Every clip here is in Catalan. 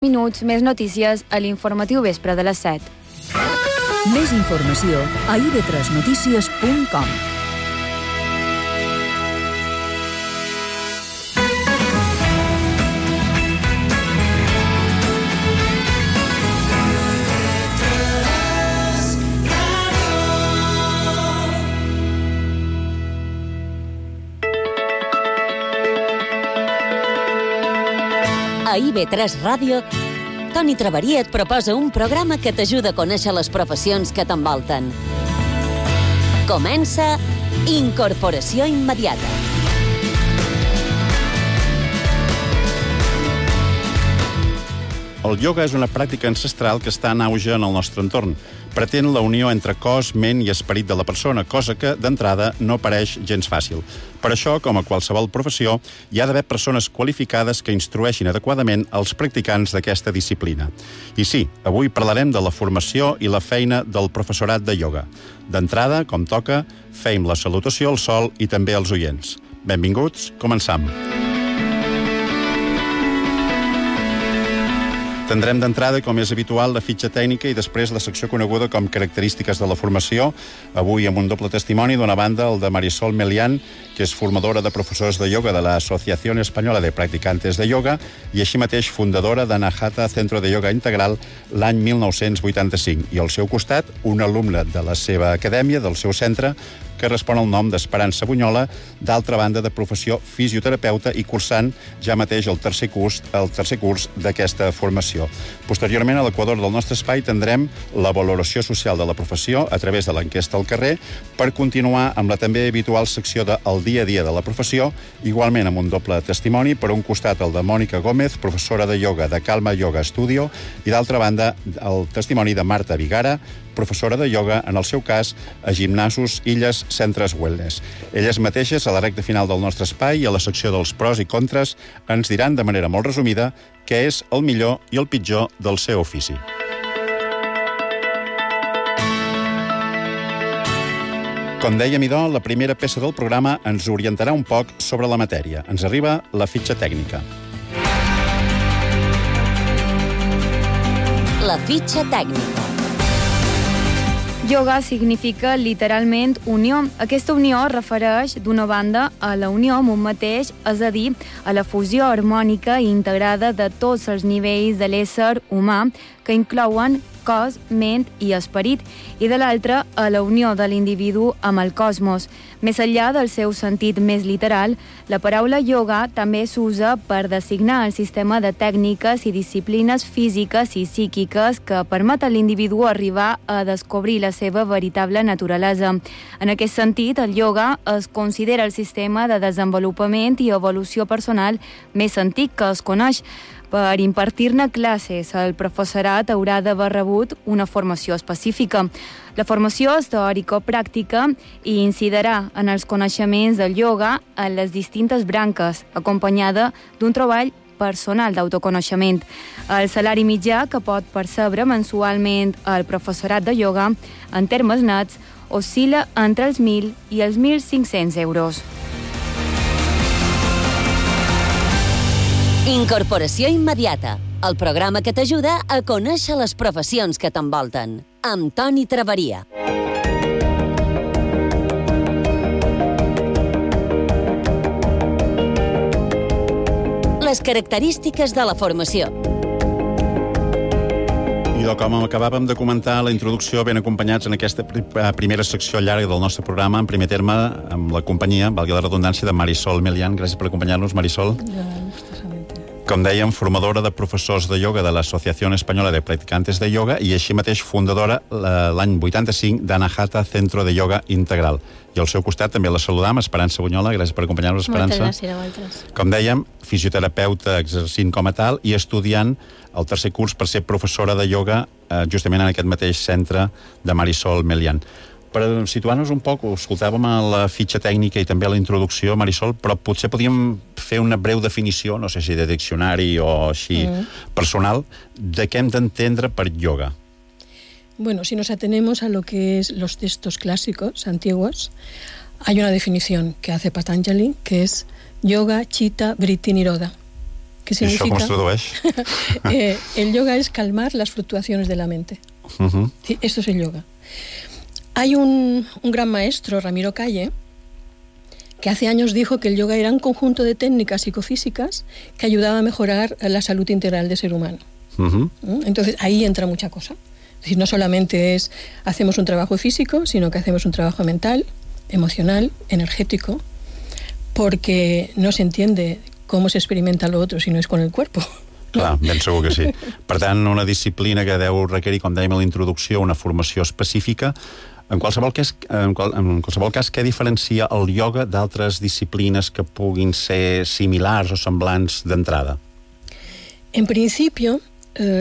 Minuts, més notícies a l'informatiu vespre de les 7. Més informació a ib3notícies.com. A IB3 Ràdio, Toni Traveria et proposa un programa que t'ajuda a conèixer les professions que t'envolten. Comença Incorporació Immediata. El ioga és una pràctica ancestral que està en auge en el nostre entorn. Pretén la unió entre cos, ment i esperit de la persona, cosa que, d'entrada, no pareix gens fàcil. Per això, com a qualsevol professió, hi ha d'haver persones qualificades que instrueixin adequadament els practicants d'aquesta disciplina. I sí, avui parlarem de la formació i la feina del professorat de ioga. D'entrada, com toca, feim la salutació al sol i també als oients. Benvinguts, començam. Tindrem d'entrada, com és habitual, la fitxa tècnica i després la secció coneguda com característiques de la formació, avui amb un doble testimoni, d'una banda el de Marisol Melián, que és formadora de professors de ioga de la Asociación Española de Practicantes de Yoga i així mateix fundadora d'Anahata Centro de Yoga Integral l'any 1985. I al seu costat, un alumne de la seva acadèmia, del seu centre, que respon al nom d'Esperança Bunyola, d'altra banda de professió fisioterapeuta i cursant ja mateix el tercer curs d'aquesta formació. Posteriorment, a l'equador del nostre espai, tindrem la valoració social de la professió a través de l'enquesta al carrer per continuar amb la també habitual secció de El dia a dia de la professió, igualment amb un doble testimoni, per un costat el de Mònica Gómez, professora de ioga de Calma Yoga Studio, i d'altra banda el testimoni de Marta Vigara, professora de ioga, en el seu cas, a Gimnasos Illes Centres Wellness. Elles mateixes, a la recta final del nostre espai i a la secció dels pros i contres, ens diran de manera molt resumida què és el millor i el pitjor del seu ofici. Com dèiem, idò, la primera peça del programa ens orientarà un poc sobre la matèria. Ens arriba la fitxa tècnica. La fitxa tècnica. Yoga significa literalment unió. Aquesta unió refereix, d'una banda, a la unió amb un mateix, és a dir, a la fusió harmònica i integrada de tots els nivells de l'ésser humà, que inclouen cos, ment i esperit, i de l'altra, a la unió de l'individu amb el cosmos. Més enllà del seu sentit més literal, la paraula yoga també s'usa per designar el sistema de tècniques i disciplines físiques i psíquiques que permet a l'individu arribar a descobrir la seva veritable naturalesa. En aquest sentit, el yoga es considera el sistema de desenvolupament i evolució personal més antic que es coneix. Per impartir-ne classes, el professorat haurà d'haver rebut una formació específica. La formació és teòrico-pràctica i incidirà en els coneixements del yoga en les distintes branques, acompanyada d'un treball personal d'autoconeixement. El salari mitjà que pot percebre mensualment el professorat de yoga, en termes nets, oscil·la entre els 1.000 i els 1.500 euros. Incorporació Immediata, el programa que t'ajuda a conèixer les professions que t'envolten, amb Toni Traveria. Les característiques de la formació. I com acabàvem de comentar a la introducció, ben acompanyats en aquesta primera secció llarga del nostre programa, en primer terme, amb la companyia, valgui la redundància, de Marisol Melián. Gràcies per acompanyar-nos, Marisol. Com dèiem, formadora de professors de ioga de l'Asociación Española de Practicantes de Yoga i així mateix fundadora l'any 85 d'Anahata Centro de Yoga Integral. I al seu costat també la saludam, Esperança Bunyola. Gràcies per acompanyar-nos, Esperança. Moltes gràcies a vosaltres. Com dèiem, fisioterapeuta exercint com a tal i estudiant el tercer curs per ser professora de ioga justament en aquest mateix centre de Marisol Melián. Per situar-nos un poc, ho escoltàvem a la fitxa tècnica i també a la introducció, Marisol, però potser podíem fer una breu definició, no sé si de diccionari o així personal, de què hem d'entendre per yoga. Bueno, si nos atenemos a lo que es los textos clásicos antiguos, hay una definición que hace Patanjali, que es Yoga Chitta Vritti Nirodha, que significa... I això com es tradueix? El yoga es calmar las fluctuaciones de la mente. Sí, esto es el yoga. Hay un gran maestro, Ramiro Calle, que hace años dijo que el yoga era un conjunto de técnicas psicofísicas que ayudaba a mejorar la salud integral del ser humano. Entonces, ahí entra mucha cosa. Es decir, no solamente hacemos un trabajo físico, sino que hacemos un trabajo mental, emocional, energético, porque no se entiende cómo se experimenta lo otro si no es con el cuerpo. Clar, ben segur que sí. Per tant, una disciplina que deu requerir, com dèiem a la introducció, una formació específica. En qualsevol cas, què diferencia el yoga d'altres disciplines que puguin ser similars o semblants d'entrada? En principio,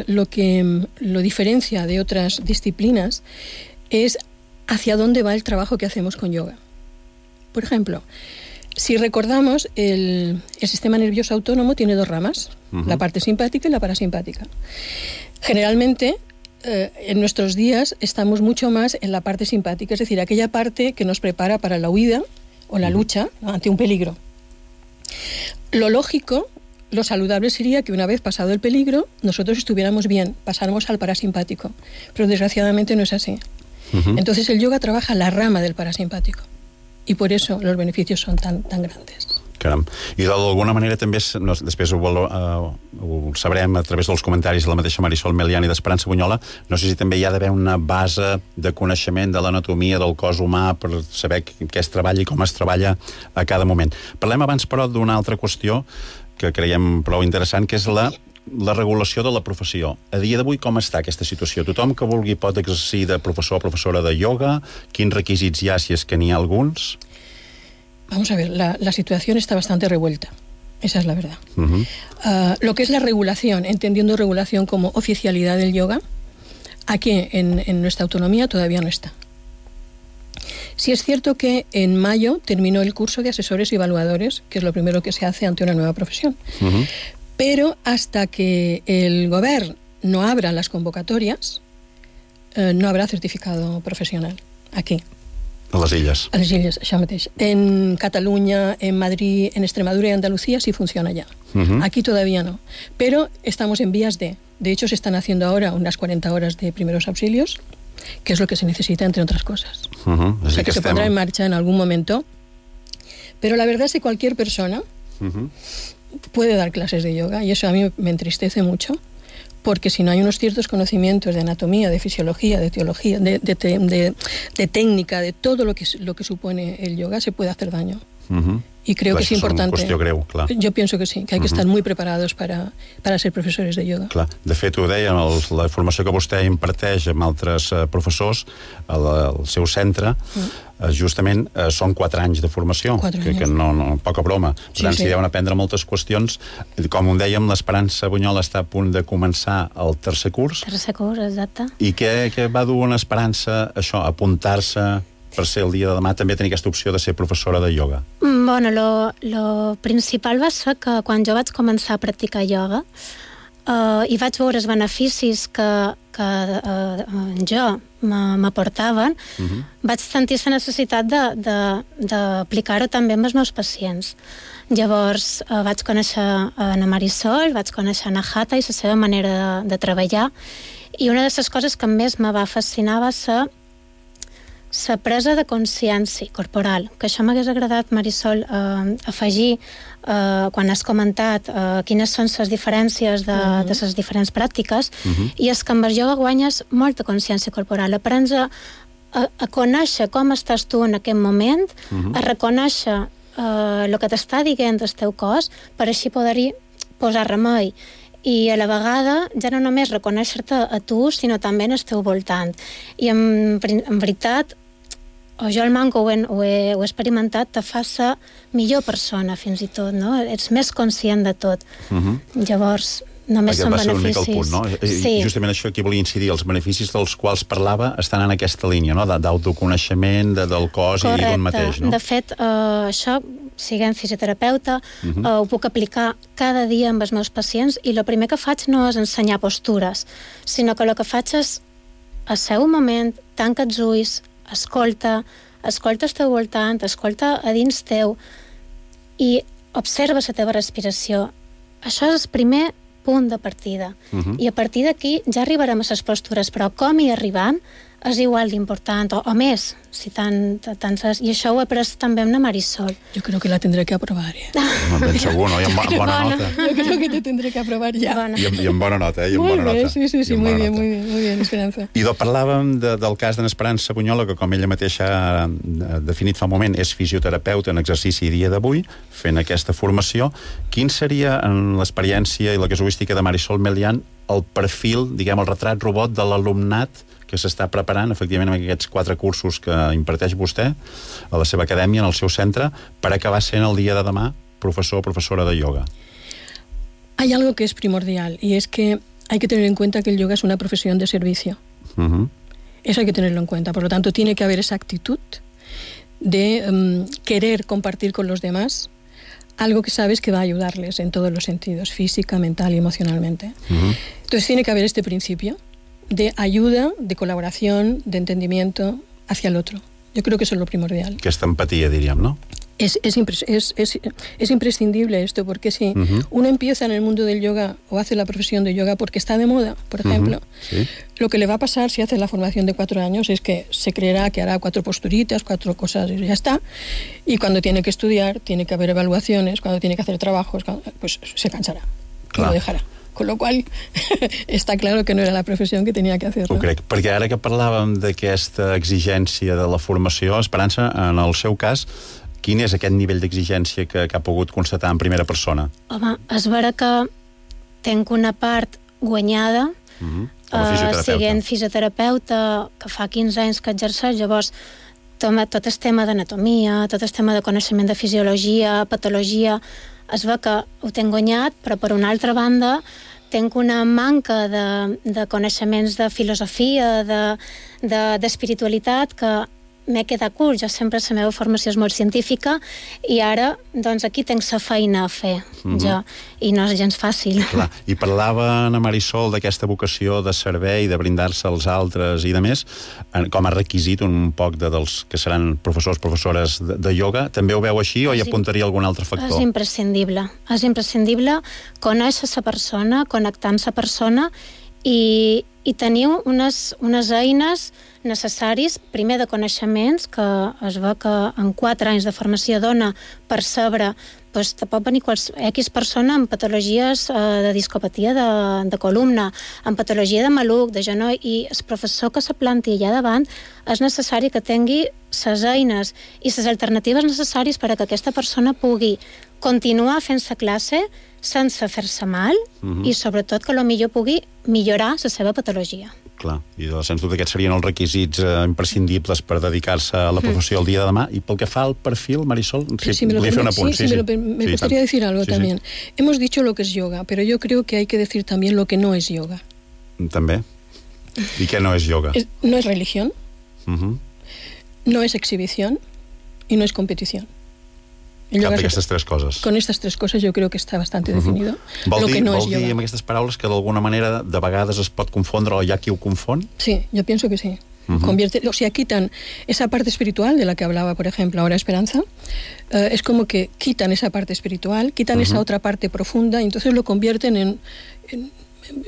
lo que lo diferencia de otras disciplinas es hacia dónde va el trabajo que hacemos con yoga. Por ejemplo, si recordamos, el sistema nervioso autónomo tiene dos ramas, la parte simpática y la parasimpática. Generalmente, en nuestros días estamos mucho más en la parte simpática, es decir, aquella parte que nos prepara para la huida o la lucha, ¿no?, ante un peligro. Lo lógico, lo saludable sería que una vez pasado el peligro, nosotros estuviéramos bien, pasáramos al parasimpático, pero desgraciadamente no es así. Entonces el yoga trabaja la rama del parasimpático y por eso los beneficios son tan grandes. Caram. I d'alguna manera també, després ho sabrem a través dels comentaris de la mateixa Marisol Melián i d'Esperança Bunyola, no sé si també hi ha d'haver una base de coneixement de l'anatomia del cos humà per saber què es treballa i com es treballa a cada moment. Parlem abans, però, d'una altra qüestió que creiem prou interessant, que és la regulació de la professió. A dia d'avui, com està aquesta situació? Tothom que vulgui pot exercir de professor o professora de yoga? Quins requisits hi ha, si és que n'hi ha alguns? Vamos a ver, la situación está bastante revuelta, esa es la verdad. Lo que es la regulación, entendiendo regulación como oficialidad del yoga, aquí en nuestra autonomía todavía no está. Sí es cierto que en mayo terminó el curso de asesores y evaluadores, que es lo primero que se hace ante una nueva profesión. Pero hasta que el gobierno no abra las convocatorias, no habrá certificado profesional aquí. A les Illes. A les Illes, això mateix. En Cataluña, en Madrid, en Extremadura y Andalucía sí funciona ya. Aquí todavía no. Pero estamos en vías de hecho, se están haciendo ahora unas 40 horas de primeros auxilios, que es lo que se necesita, entre otras cosas. O sea, que se pondrá en marcha en algún momento. Pero la verdad es que cualquier persona puede dar clases de yoga, y eso a mí me entristece mucho, porque si no hay unos ciertos conocimientos de anatomía, de fisiología, de teología, de técnica, de todo lo que supone el yoga, se puede hacer daño. Y creo que es importante. És una qüestió greu, clar. Yo pienso que sí, que hay que estar muy preparados para ser profesores de yoga. Clar. De fet, ho deia, la formació que vostè imparteix amb altres professors al seu centre, justament són 4 anys de formació, que no poca broma. Per tant, s'hi deuen aprendre moltes qüestions. Com ho dèiem, l'Esperança Bunyola està a punt de començar el tercer curs. Tercer curs, exacte. I què va dur una Esperança, això, apuntar-se per ser el dia de demà, també tenir aquesta opció de ser professora de yoga? Bueno, lo principal va ser que quan jo vaig començar a practicar yoga i vaig veure els beneficis que jo m'aportaven, vaig sentir la necessitat d'aplicar-ho també amb els meus pacients. Llavors vaig conèixer na Marisol, vaig conèixer na Hatha i la seva manera de treballar, i una de les coses que més me va fascinar va ser la presa de consciència corporal, que això m'hagués agradat, Marisol, afegir quan has comentat quines són les diferències de les diferents pràctiques, i és que amb el yoga guanyes molta consciència corporal, aprens a conèixer com estàs tu en aquest moment, a reconèixer el que t'està dient el teu cos, per així poder-hi posar remei, i a la vegada ja no només reconèixer-te a tu, sinó també en el teu voltant. I en veritat, o jo el manco ho he experimentat, te fa ser millor persona fins i tot, no? Ets més conscient de tot. Llavors, només són beneficis. Aquest va ser una mica el punt, no? Sí. Justament això aquí volia incidir, els beneficis dels quals parlava estan en aquesta línia, no? D'autoconeixement, del cos i d'un mateix, no? De fet, això, siguem fisioterapeuta, ho puc aplicar cada dia amb els meus pacients, i el primer que faig no és ensenyar postures, sinó que el que faig és asseu un moment, tanca els ulls, escolta el teu voltant, escolta a dins teu i observa la teva respiració. això és el primer punt de partida. I a partir d'aquí ja arribarem a les postures, però com hi arribam és igual d'important, o més, si tant és. I això ho he après també amb la Marisol. Yo creo que la tendré que aprobar, Ben segur, no? I amb bona nota. Yo creo que te tendré que aprobar ya. I amb bona nota, I amb bona nota. Sí, muy bien, Esperanza. I parlàvem del cas d'en Esperança Bunyola, que com ella mateixa ha definit fa un moment, és fisioterapeuta en exercici dia d'avui, fent aquesta formació. Quin seria, en l'experiència i la casuística de Marisol Melián, el perfil, diguem, el retrat robot de l'alumnat que s'està preparant, efectivament, amb aquests 4 cursos que imparteix vostè a la seva acadèmia, en el seu centre, per acabar sent el dia de demà professor o professora de yoga? Hay algo que es primordial, y es que hay que tener en cuenta que el yoga es una profesión de servicio. Eso hay que tenerlo en cuenta. Por lo tanto, tiene que haber esa actitud de querer compartir con los demás algo que sabes que va a ayudarles en todos los sentidos, física, mental y emocionalmente. Entonces tiene que haber este principio de ayuda, de colaboración, de entendimiento hacia el otro. Yo creo que eso es lo primordial. Aquesta empatia, diríem, no? Es imprescindible esto, porque si uno empieza en el mundo del yoga o hace la profesión de yoga porque está de moda, por ejemplo, lo que le va a pasar si hace la formación de 4 años es que se creerá que hará 4 posturitas, 4 cosas y ya está, y cuando tiene que estudiar, tiene que haber evaluaciones, cuando tiene que hacer trabajos, pues se cansará y lo dejarà. Con lo qual, està clar que no era la professió que tenia que hacer. Ho crec, perquè ara que parlàvem d'aquesta exigència de la formació, Esperança, en el seu cas, quin és aquest nivell d'exigència que ha pogut constatar en primera persona? Home, és vera que tenc una part guanyada, siguent fisioterapeuta, que fa 15 anys que exerceix, llavors tot el tema d'anatomia, tot el tema de coneixement de fisiologia, patologia, es veu que ho tenc guanyat, però per una altra banda tenc una manca de coneixements de filosofia, d'espiritualitat, que m'he quedat curt. Jo sempre la meva formació és molt científica i ara, doncs, aquí tenc la feina a fer, jo, i no és gens fàcil. Clar. I parlava Ana Marisol d'aquesta vocació de servei, de brindar-se als altres i de més, com a requisit un poc dels que seran professors, professores de yoga. També ho veu així o hi apuntaria algun altre factor? És imprescindible conèixer la persona, connectar amb la persona i teniu unes eines necessaris, primer de coneixements, que es veu que en 4 anys de formació dona per saber, doncs te pot venir X persona amb patologies de discopatia de columna, amb patologia de maluc, de genoll, i el professor que se planti allà davant és necessari que tingui les eines i les alternatives necessàries per a que aquesta persona pugui continuar fent la classe sense fer-se mal i sobretot que potser pugui millorar la seva patologia. Clar, i sens dubte aquests serien els requisits imprescindibles per dedicar-se a la professió el dia de demà. I pel que fa al perfil, Marisol, volia fer un apunt. Me gustaría decir algo también. Hemos dicho lo que es yoga, pero yo creo que hay que decir también lo que no es yoga. També. ¿Y qué no es yoga? No es religión, no es exhibición y no es competición. Cap d'aquestes 3 coses. Con estas 3 cosas yo creo que está bastante definido. Vol dir amb aquestes paraules que d'alguna manera de vegades es pot confondre o hi ha qui ho confon? Sí, yo pienso que sí. O sea, quitan esa parte espiritual de la que hablaba, por ejemplo, ahora Esperanza. Es como que quitan esa parte espiritual, quitan esa otra parte profunda y entonces lo convierten en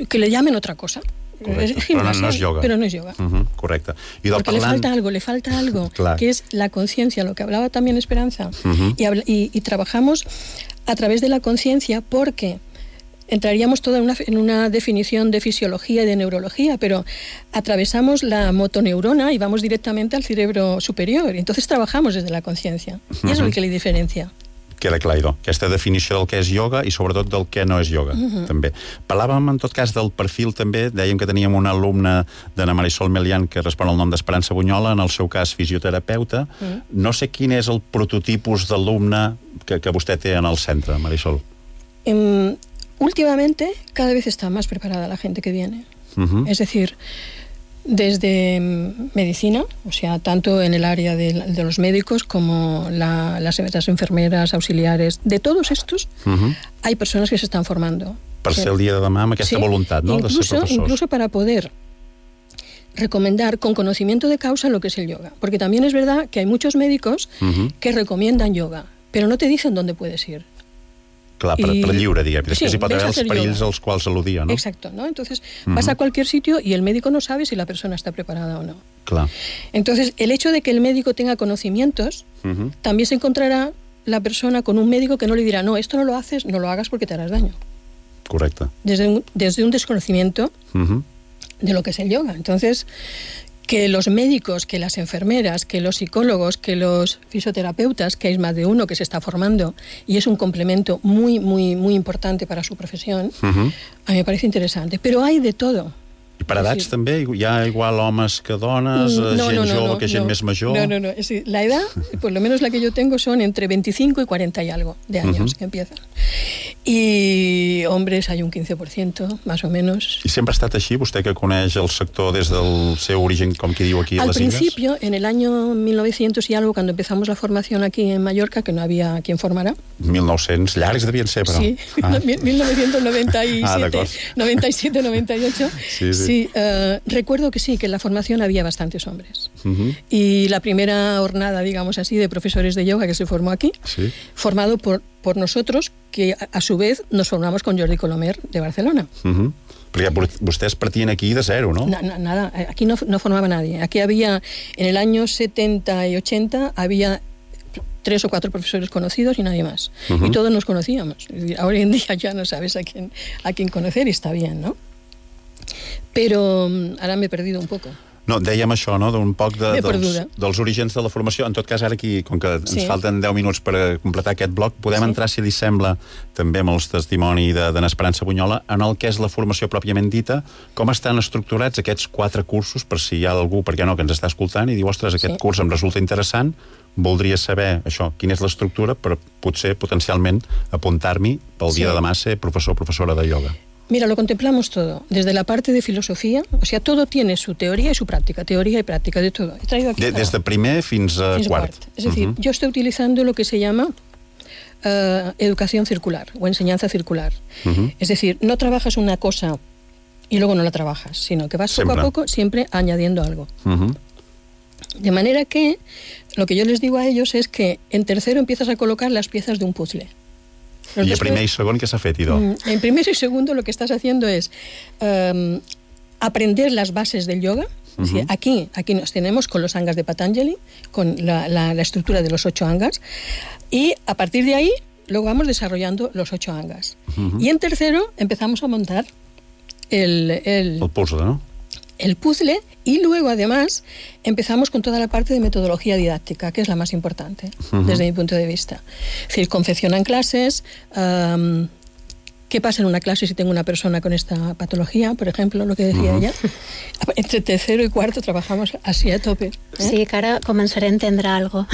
que le llamen otra cosa. Correcte, però no és yoga. Pero no es yoga. Correcte. Porque le falta algo, que es la conciencia, lo que hablaba también Esperanza. Y trabajamos a través de la conciencia porque entraríamos toda en una definición de fisiología y de neurología, pero atravesamos la motoneurona y vamos directamente al cerebro superior. Entonces trabajamos desde la conciencia. Y eso es lo que le diferencia. Queda clar, idò. Aquesta definició del que és yoga i sobretot del que no és yoga, també. Parlàvem, en tot cas, del perfil, també. Dèiem que teníem una alumna d'Ana Marisol Melián que respon al nom d'Esperança Bunyola, en el seu cas fisioterapeuta. No sé quin és el prototipus d'alumne que vostè té en el centre, Marisol. Últimamente, cada vez está más preparada la gente que viene. Es decir, desde medicina, o sea, tanto en el área de los médicos como las enfermeras, auxiliares, de todos estos, hay personas que se están formando. Per ser el dia de demà amb aquesta voluntat, no?, de ser professors. Incluso para poder recomendar con conocimiento de causa lo que es el yoga. Porque también es verdad que hay muchos médicos que recomiendan yoga, pero no te dicen dónde puedes ir. Clar, per lliure, diguem. Després hi pot haver els perills als quals al·ludia, ¿no? Exacto, ¿no? Entonces, vas a cualquier sitio y el médico no sabe si la persona está preparada o no. Clar. Entonces, el hecho de que el médico tenga conocimientos, también se encontrará la persona con un médico que no le dirá, no, esto no lo haces, no lo hagas porque te harás daño. Correcte. Desde un desconocimiento de lo que es el yoga. Entonces, que los médicos, que las enfermeras, que los psicólogos, que los fisioterapeutas, que hay más de uno que se está formando y es un complemento muy, muy, muy importante para su profesión, a mí me parece interesante. Pero hay de todo. I per edats també? Hi ha igual homes que dones, gent jove que gent més major? No. Es decir, la edad, por lo menos la que yo tengo, son entre 25 y 40 y algo de años que empiezan. I hombres hay un 15%, más o menos. I sempre ha estat així? Vostè que coneix el sector des del seu origen, com qui diu aquí a les Illes? Al principio, en el año 1900 y algo, cuando empezamos la formación aquí en Mallorca, que no había quien formara. 1900, llargs devien ser, però. Sí, 1997, 97, 98. Sí, recuerdo que sí, que en la formación había bastantes hombres. Y la primera jornada, digamos así, de profesores de yoga que se formó aquí, formado por nosotros, que a su vez nos formamos con Jordi Colomer de Barcelona. Perquè vostès partien aquí de zero, ¿no? Nada, aquí no formaba nadie. Aquí había, en el año 70 y 80, había 3 o 4 profesores conocidos y nadie más. Y todos nos conocíamos. Ahora en día ya no sabes a quién conocer y está bien, ¿no? Però ara m'he perdut un poc. No, dèiem això, no?, d'un poc dels orígens de la formació. En tot cas, ara aquí, com que ens falten 10 minuts per completar aquest bloc, podem entrar, si li sembla, també amb el testimoni d'en Esperança Bunyola, en el que és la formació pròpiament dita, com estan estructurats aquests 4 cursos, per si hi ha algú, per què no, que ens està escoltant i diu, ostres, aquest curs em resulta interessant, voldria saber això, quina és l'estructura per potser, potencialment, apuntar-m'hi pel dia de demà ser professor o professora de yoga. Mira, lo contemplamos todo, desde la parte de filosofía, o sea, todo tiene su teoría y su práctica, de todo. He traído aquí desde primer fins a quart. Es decir, yo estoy utilizando lo que se llama educación circular o enseñanza circular. Es decir, no trabajas una cosa y luego no la trabajas, sino que vas poco a poco siempre añadiendo algo. De manera que lo que yo les digo a ellos es que en tercero empiezas a colocar las piezas de un puzzle. I a primer i segon què s'ha fet, Idò? En primer y segundo lo que estás haciendo es aprender las bases del yoga. ¿Sí? Aquí nos tenemos con los angas de Patanjali, con la estructura de los 8 angas, y a partir de ahí luego vamos desarrollando los 8 angas. Y en tercero empezamos a montar el puzzle, ¿no? El puzzle, y luego además empezamos con toda la parte de metodología didáctica, que es la más importante desde mi punto de vista. Es decir, confeccionan clases, ¿qué pasa en una clase si tengo una persona con esta patología, por ejemplo, lo que decía ella? Entre tercero y cuarto trabajamos así a tope. Sí, que ara començaré a entendre algo.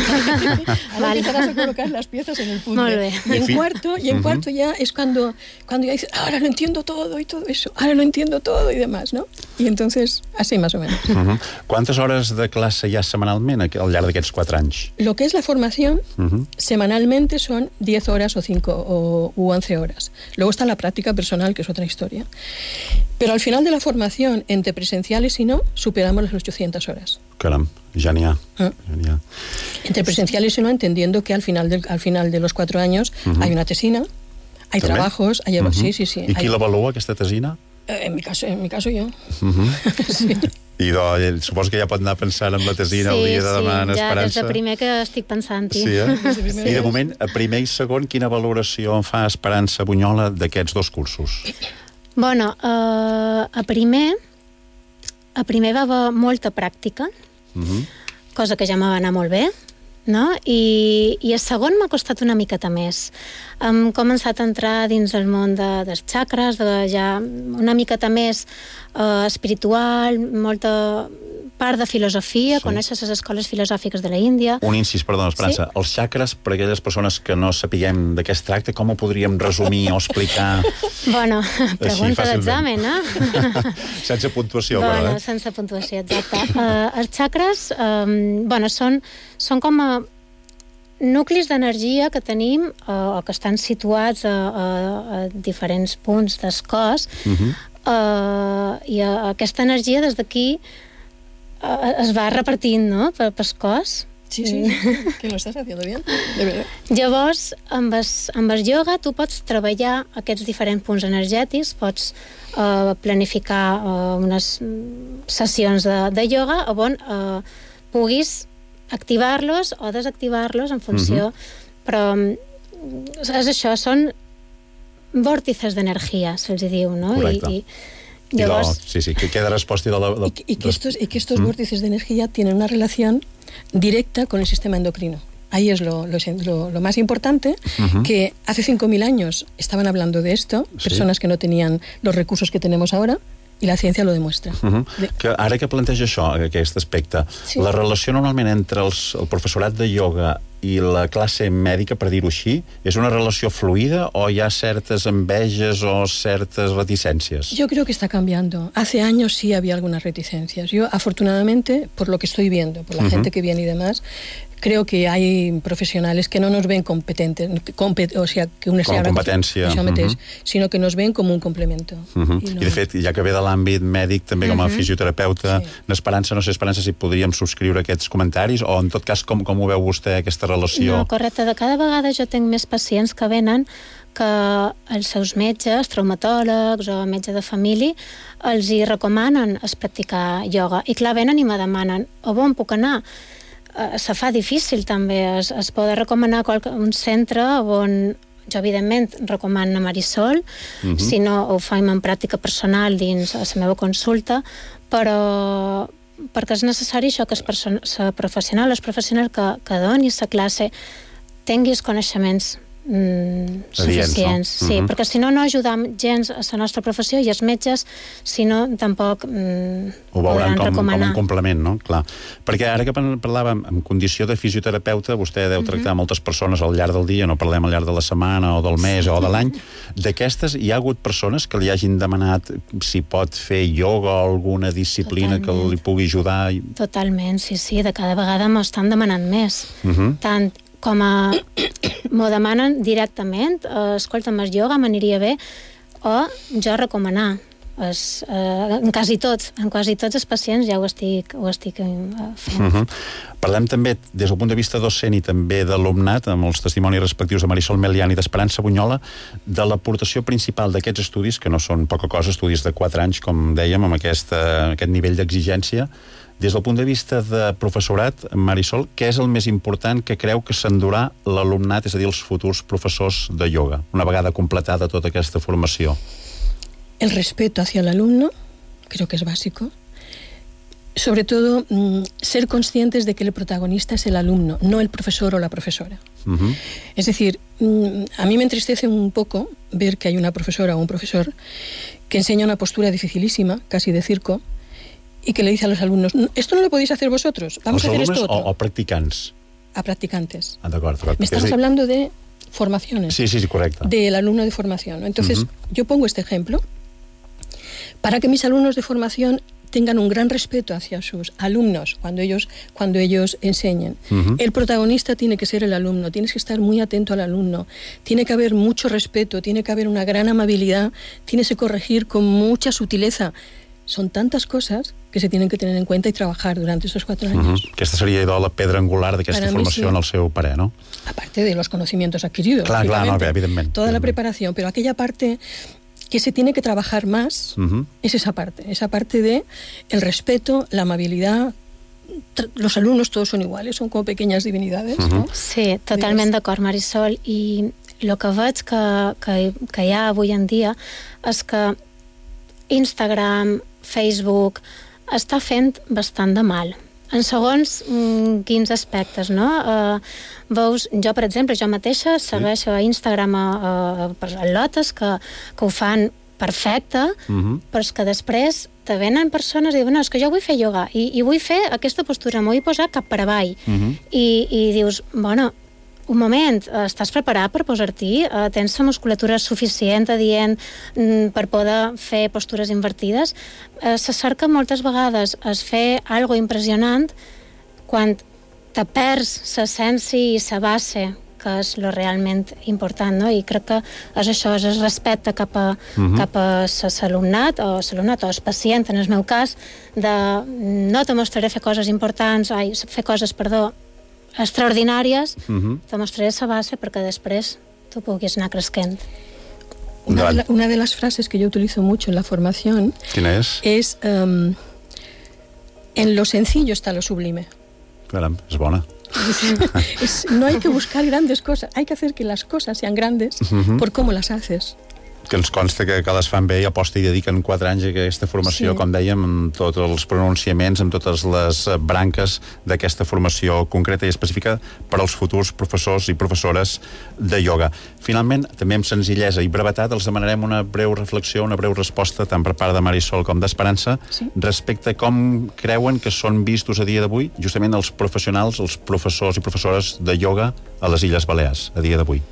Ahora empezarás a colocar las piezas en el puzzle. Molt bé. Y en cuarto ya es cuando ya dices, ahora lo entiendo todo y todo eso, ahora lo entiendo todo y demás, ¿no? Y entonces, así más o menos. ¿Cuántas horas de clase hi ha setmanalment al llarg d'aquests 4 anys? Lo que es la formación, semanalmente son 10 horas o 5 u 11 horas. Luego está la práctica personal, que es otra historia. Pero al final de la formación, entre presenciales y no, superamos las 800 horas. Caram, ja n'hi ha. Entre presenciales y no, entendiendo que al final de los 4 años hay una tesina, hay trabajos, hay... Sí. I qui l'avalua, aquesta tesina? En mi caso yo. Sí. I suposo que ja pot anar pensant en la tesina el dia de demà en Esperança. Sí, ja des de primer que estic pensant-hi. Sí, I de moment, a primer i segon, quina valoració en fa Esperança Bunyola d'aquests 2 cursos? Bueno, a primer va haver molta pràctica, cosa que ja me va anar molt bé, no? I a segon m'ha costat una miqueta més. Hem començat a entrar dins el món dels xacres, ja una miqueta més espiritual, molta part de filosofia, conèixer les escoles filosòfiques de la Índia. Un incís, perdona, Esperança. Els xacres, per a aquelles persones que no sapiguem de què es tracta, com ho podríem resumir o explicar? Bueno, pregunta d'examen, eh? Sense puntuació, però, però, sense puntuació, exacte. Els xacres, són com nuclis d'energia que tenim o que estan situats a diferents punts del cos, i aquesta energia des d'aquí es va repartint, no?, pel cos, Sí, que lo estàs haciendo bien, de verdad. Llavors, amb el ioga tu pots treballar aquests diferents punts energètics, pots planificar unes sessions de ioga on puguis activar-los o desactivar-los en funció... Però és això, són vòrtices d'energia, se'ls diu, no? Correcte. Llavors... Sí, que queda resposta de... Y que estos vórtices de energía tienen una relación directa con el sistema endocrino. Ahí es lo más importante, que hace 5.000 años estaban hablando de esto, personas que no tenían los recursos que tenemos ahora, i la ciència lo demostra. Que ara que planteja això, aquest aspecte, la relació normalment entre el professorat de ioga i la classe mèdica, per dir-ho així, és una relació fluida o hi ha certes enveges o certes reticències? Yo creo que está cambiando. Hace años sí había algunas reticencias. Yo, afortunadamente, por lo que estoy viendo, por la gente que viene y demás, creo que hay profesionales que no nos ven competentes, o sea, que una com a competència, sinó que nos ven com un complemento. I de fet, ja que ve de l'àmbit mèdic, també com a fisioterapeuta, n'Esperança, no sé, Esperança, si podríem subscriure aquests comentaris, o en tot cas, com ho veu vostè, aquesta relació? No, correcte. De cada vegada jo tinc més pacients que venen que els seus metges, traumatòlegs o metge de família, els hi recomanen practicar ioga. I clar, venen i me demanen, on puc anar? Se fa difícil també, es pot recomanar un centre on jo evidentment recomano a Marisol, si no ho faim en pràctica personal dins la meva consulta, però perquè és necessari això que el professional que doni la classe tinguis coneixements suficients, sí, perquè si no ajudam gens a la nostra professió i els metges, si no, tampoc ho veuran com un complement, no? Clar. Perquè ara que parlàvem en condició de fisioterapeuta, vostè deu tractar moltes persones al llarg del dia, no parlem al llarg de la setmana o del mes o de l'any. D'aquestes hi ha hagut persones que li hagin demanat si pot fer ioga o alguna disciplina que li pugui ajudar? Totalment, sí, de cada vegada m'ho estan demanant més. Tant com m'ho demanen directament, escolta'm, el ioga m'aniria bé, o jo recomanar. En quasi tots els pacients ja ho estic fent. Parlem també, des del punt de vista docent i també d'alumnat, amb els testimonis respectius de Marisol Melián i d'Esperança Bunyola, de l'aportació principal d'aquests estudis, que no són poca cosa, estudis de 4 anys, com dèiem, amb aquest nivell d'exigència. Des del punt de vista de professorat, Marisol, què és el més important que creu que s'endurà l'alumnat, és a dir, els futurs professors de ioga, una vegada completada tota aquesta formació? El respeto hacia el alumno, creo que es básico. Sobre todo, ser conscientes de que el protagonista es el alumno, no el profesor o la profesora. Es decir, a mí me entristece un poco ver que hay una profesora o un profesor que enseña una postura dificilísima, casi de circo, y que le dice a los alumnos, esto no lo podéis hacer vosotros, vamos a hacer esto otro. ¿O practicants? A practicantes. De acuerdo. Me estamos hablando de formaciones. Sí, correcto. Del alumno de formación, ¿no? Entonces, yo pongo este ejemplo para que mis alumnos de formación tengan un gran respeto hacia sus alumnos cuando ellos enseñen. El protagonista tiene que ser el alumno, tienes que estar muy atento al alumno, tiene que haber mucho respeto, tiene que haber una gran amabilidad, tienes que corregir con mucha sutileza. Son tantas cosas que se tienen que tener en cuenta y trabajar durante esos 4 años. Aquesta seria la pedra angular d'aquesta formació en el seu parer, ¿no? Aparte de los conocimientos adquiridos. Clar, no, evidentment. Toda la preparación, pero aquella parte que se tiene que trabajar más es esa parte de el respeto, la amabilidad. Los alumnos todos son iguales, son como pequeñas divinidades, ¿no? Sí, totalment d'acord, Marisol, i el que veig que hi ha avui en dia és que Instagram, Facebook, està fent bastant de mal. En segons quins aspectes, no? Veus, jo, per exemple, jo mateixa segueixo a Instagram atletes que ho fan perfecte, però és que després te venen persones i diuen, no, és que jo vull fer ioga i vull fer aquesta postura, m'ho vull posar cap per avall. I dius, bueno, un moment, estàs preparat per posar-t'hi? Tens la musculatura suficient adient per poder fer postures invertides? Se cerca moltes vegades es fer algo impressionant quan te perds l'essència i la base, que és lo realment important, no? I crec que és això, és el respecte cap a l'alumnat o el pacient, en el meu cas, de no te mostraré fer coses extraordinàries, te mostraré la base perquè després tu puguis anar creixent. Una de las frases que yo utilizo mucho en la formación es en lo sencillo está lo sublime. Caram, és bona. No hay que buscar grandes cosas, hay que hacer que las cosas sean grandes por cómo las haces. Que ens consta que les fan bé i aposta i dediquen 4 anys a aquesta formació, com dèiem, amb tots els pronunciaments, amb totes les branques d'aquesta formació concreta i específica per als futurs professors i professores de ioga. Finalment, també amb senzillesa i brevetat, els demanarem una breu reflexió, una breu resposta, tant per part de Marisol com d'Esperança, respecte a com creuen que són vistos a dia d'avui justament els professionals, els professors i professores de ioga a les Illes Balears, a dia d'avui.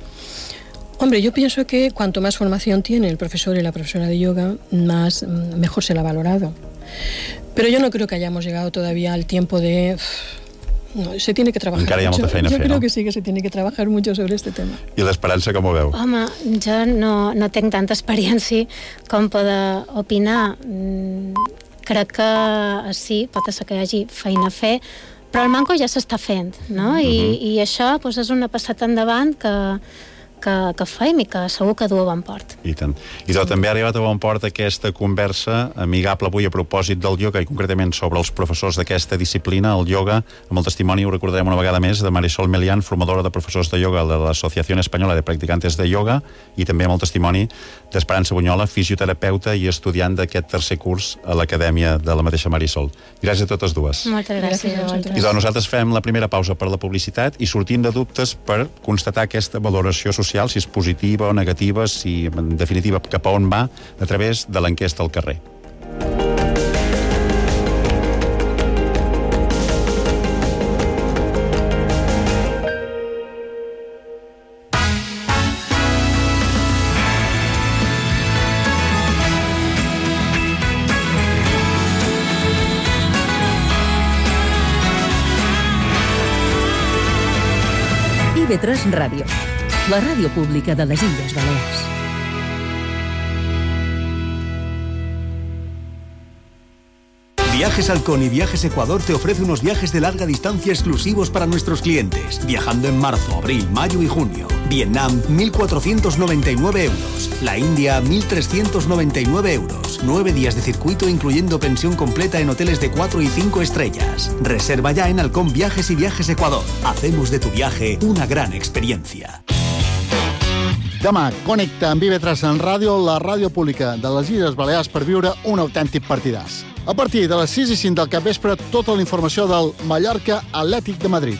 Hombre, yo pienso que cuanto más formación tiene el profesor y la profesora de yoga, mejor se la ha valorado. Pero yo no creo que hayamos llegado todavía al tiempo de... No, se tiene que trabajar encara hi ha molta feina a fer, creo que sí que se tiene que trabajar mucho sobre este tema. I l'Esperança com ho veu? Home, jo no tinc tanta experiència com poder opinar. Crec que sí, pot ser que hi hagi feina a fer, però el manco ja s'està fent, no? I això doncs, és una passada endavant que fem i que segur que du a bon port. I tant. I també ha arribat a bon port aquesta conversa amigable avui a propòsit del ioga i concretament sobre els professors d'aquesta disciplina, el ioga, amb el testimoni, ho recordarem una vegada més, de Marisol Melián, formadora de professors de ioga de l'Associació Espanyola de Practicantes de Ioga, i també amb el testimoni d'Esperança Bunyola, fisioterapeuta i estudiant d'aquest tercer curs a l'Acadèmia de la mateixa Marisol. Gràcies a totes dues. Moltes gràcies a vosaltres. I doncs nosaltres fem la primera pausa per la publicitat i sortim de dubtes per constatar aquesta valoració social, si és positiva o negativa, si en definitiva cap a on va, a través de l'enquesta al carrer. IB3 Ràdio, la ràdio pública de les Illes Balears. Viajes Halcón y Viajes Ecuador te ofrece unos viajes de larga distancia exclusivos para nuestros clientes, viajando en marzo, abril, mayo y junio. Vietnam, 1.499 euros. La India, 1.399 euros. 9 días de circuito incluyendo pensión completa en hoteles de 4 y 5 estrellas. Reserva ya en Halcón Viajes y Viajes Ecuador. Hacemos de tu viaje una gran experiencia. Demà connecta amb IB3 en ràdio, la ràdio pública de les Illes Balears, per viure un autèntic partidàs. A partir de les 6 i 5 del capvespre, tota la informació del Mallorca Atlètic de Madrid.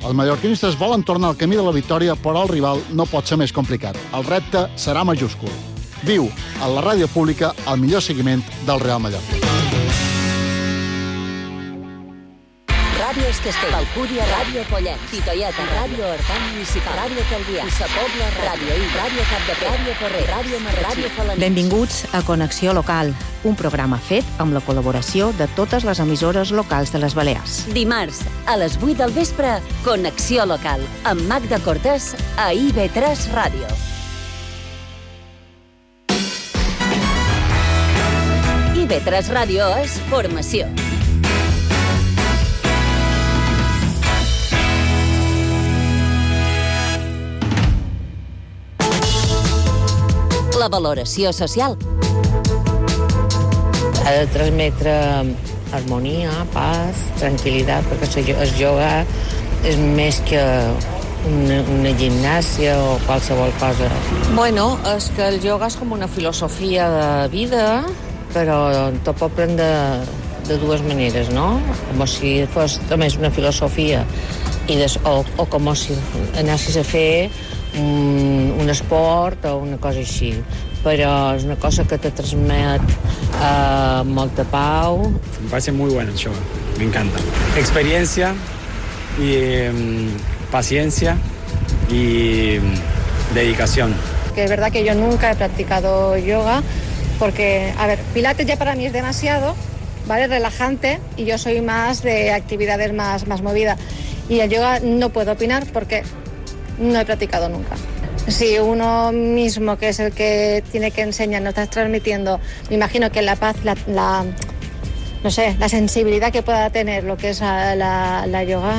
Els mallorquinistes volen tornar al camí de la victòria, però el rival no pot ser més complicat. El repte serà majúscul. Viu a la ràdio pública el millor seguiment del Real Mallorca. Ràdio Escastell, Alcúdia, Ràdio Pollet, Titoieta, Ràdio Horta Municipal, Ràdio Calvià, Sa Pobla, Ràdio I, Ràdio Capdepera, Ràdio Porrer, Ràdio Marratxí, Ràdio Falanís. Benvinguts a Connexió Local, un programa fet amb la col·laboració de totes les emissores locals de les Balears. Dimarts, a les 8 del vespre, Connexió Local, amb Magda Cortés a IB3 Ràdio. IB3 Ràdio és formació. La valoració social. Ha de transmetre harmonia, paz, tranquil·litat, perquè el ioga és més que una gimnàsia o qualsevol cosa. Bueno, és que el ioga és com una filosofia de vida, però te pot prendre de dues maneres, no? Com si fos només una filosofia o com si anessis a fer un esport o una cosa així, però és una cosa que te transmet molta pau. Me parece muy bueno el yoga, me encanta. Experiencia y paciencia y dedicación. Que es verdad que yo nunca he practicado yoga porque, a ver, pilates ya para mí es demasiado, ¿vale? Relajante, y yo soy más de actividades más movidas. Y el yoga no puedo opinar porque no he practicado nunca. Si uno mismo, que es el que tiene que enseñar, no estás transmitiendo, me imagino que la paz, no sé, la sensibilidad que pueda tener lo que es la yoga,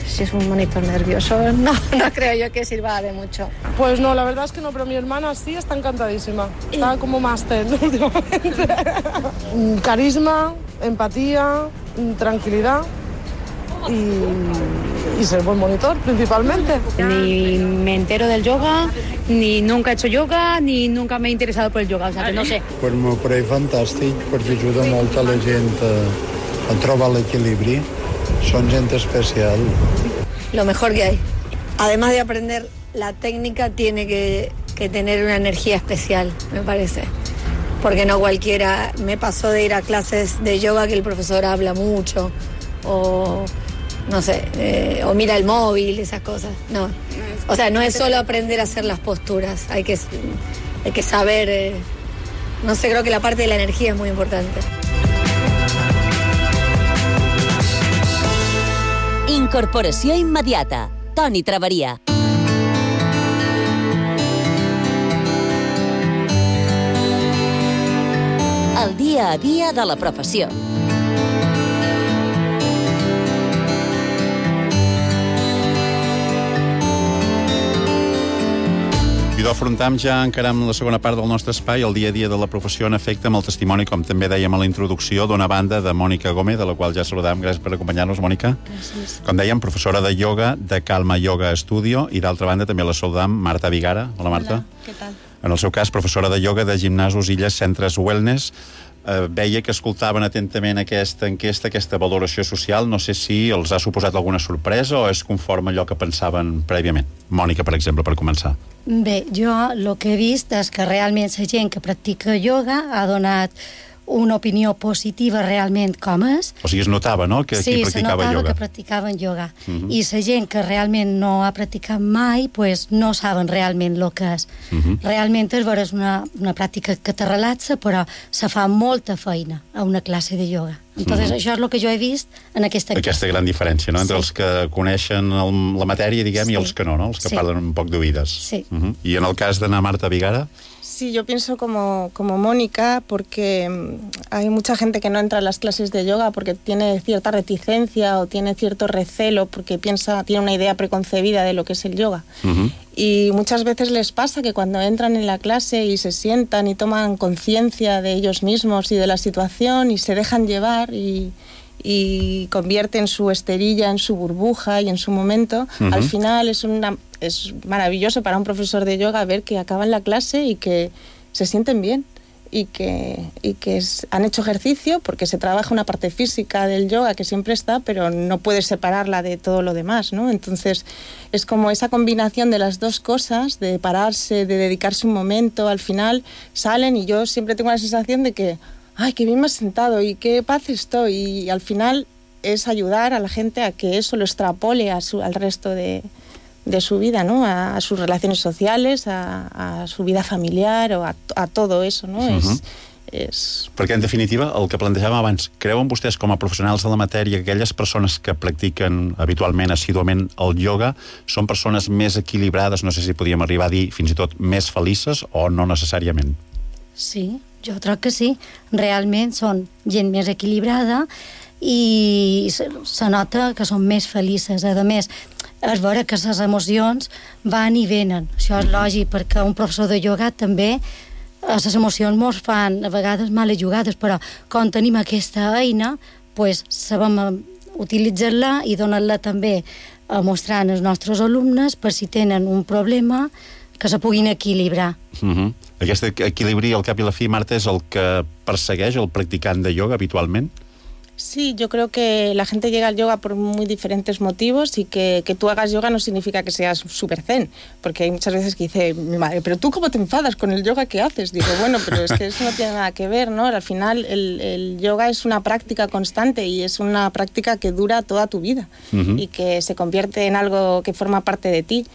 si es un monitor nervioso, no creo yo que sirva de mucho. Pues no, la verdad es que no, pero mi hermana sí está encantadísima. Está como máster últimamente. Carisma, empatía, tranquilidad y ser buen monitor, principalmente. Ni me entero del yoga, ni nunca he hecho yoga, ni nunca me he interesado por el yoga, o sea que no sé. Per m'ho pareix fantàstic, perquè ajuda molt a la gent a trobar l'equilibri. Son gente especial. Lo mejor que hay. Además de aprender la técnica, tiene que tener una energía especial, me parece. Porque no cualquiera, me pasó de ir a clases de yoga que el profesor habla mucho, o no sé, o mira el móvil, esas cosas. No. O sea, no es solo aprender a hacer las posturas, hay que saber, no sé, creo que la parte de la energía es muy importante. Incorporació immediata. Toni Traveria. El dia a dia de la professió. I d'afrontam ja encara amb la segona part del nostre espai, el dia a dia de la professió, en efecte, amb el testimoni, com també dèiem a la introducció, d'una banda de Mònica Gómez, de la qual ja saludàvem. Gràcies per acompanyar-nos, Mònica. Gràcies. Com dèiem, professora de ioga de Calma Yoga Studio, i d'altra banda també la saludam Marta Vigara. Hola, Marta. Hola, què tal? En el seu cas, professora de ioga de Gimnasos Illes Centres Wellness. Veia que escoltaven atentament aquesta enquesta, aquesta valoració social. No sé si els ha suposat alguna sorpresa o és conforme allò que pensaven prèviament. Mònica, per exemple, per començar. Bé, jo el que he vist és que realment la gent que practica ioga ha donat una opinió positiva realment com és. O sigui, es notava, no?, que aquí practicava notava ioga. que practicaven ioga. I la gent que realment no ha practicat mai, pues no saben realment el que és. Realment és una pràctica que te relaxa, però se fa molta feina a una classe de ioga. Entonces, això és el que jo he vist en aquesta enquesta. Aquesta gran diferència, no?, entre els que coneixen la matèria, diguem, i els que no, no?, els que parlen un poc d'oïdes. Sí. I en el cas d'Anna Marta Vigara... Sí, yo pienso como Mónica, porque hay mucha gente que no entra a las clases de yoga porque tiene cierta reticencia o tiene cierto recelo porque tiene una idea preconcebida de lo que es el yoga. Y muchas veces les pasa que cuando entran en la clase y se sientan y toman conciencia de ellos mismos y de la situación y se dejan llevar y convierten su esterilla en su burbuja y en su momento, al final es maravilloso para un profesor de yoga ver que acaban la clase y que se sienten bien y que han hecho ejercicio, porque se trabaja una parte física del yoga que siempre está, pero no puedes separarla de todo lo demás, ¿no? Entonces es como esa combinación de las dos cosas, de pararse, de dedicarse un momento, al final salen y yo siempre tengo la sensación de que ¡ay, qué bien me has sentado! Y qué paz estoy. Y al final es ayudar a la gente a que eso lo extrapole al resto de su vida, ¿no? A sus relaciones sociales, a su vida familiar o a todo eso, ¿no? Perquè, en definitiva, el que plantejàvem abans, creuen vostès com a professionals de la matèria que aquelles persones que practiquen habitualment, assíduament, el ioga, són persones més equilibrades, no sé si podríem arribar a dir fins i tot més felices o no necessàriament? Sí, jo crec que sí. Realment són gent més equilibrada i se nota que són més felices. A més, és veure que les emocions van i venen. Això és lògic, perquè un professor de ioga també les emocions mos fan a vegades males jugades, però quan tenim aquesta eina, pues, sabem utilitzar-la i donar-la també a mostrar als nostres alumnes per si tenen un problema que se puguin equilibrar. Aquest equilibri, al cap i la fi, Marta, és el que persegueix el practicant de ioga habitualment? Sí, yo creo que la gente llega al yoga por muy diferentes motivos y que tú hagas yoga no significa que seas súper zen, porque hay muchas veces que dice mi madre, pero tú ¿cómo te enfadas con el yoga que haces? Digo, bueno, pero es que eso no tiene nada que ver, ¿no? Al final el yoga es una práctica constante y es una práctica que dura toda tu vida y que se convierte en algo que forma parte de ti.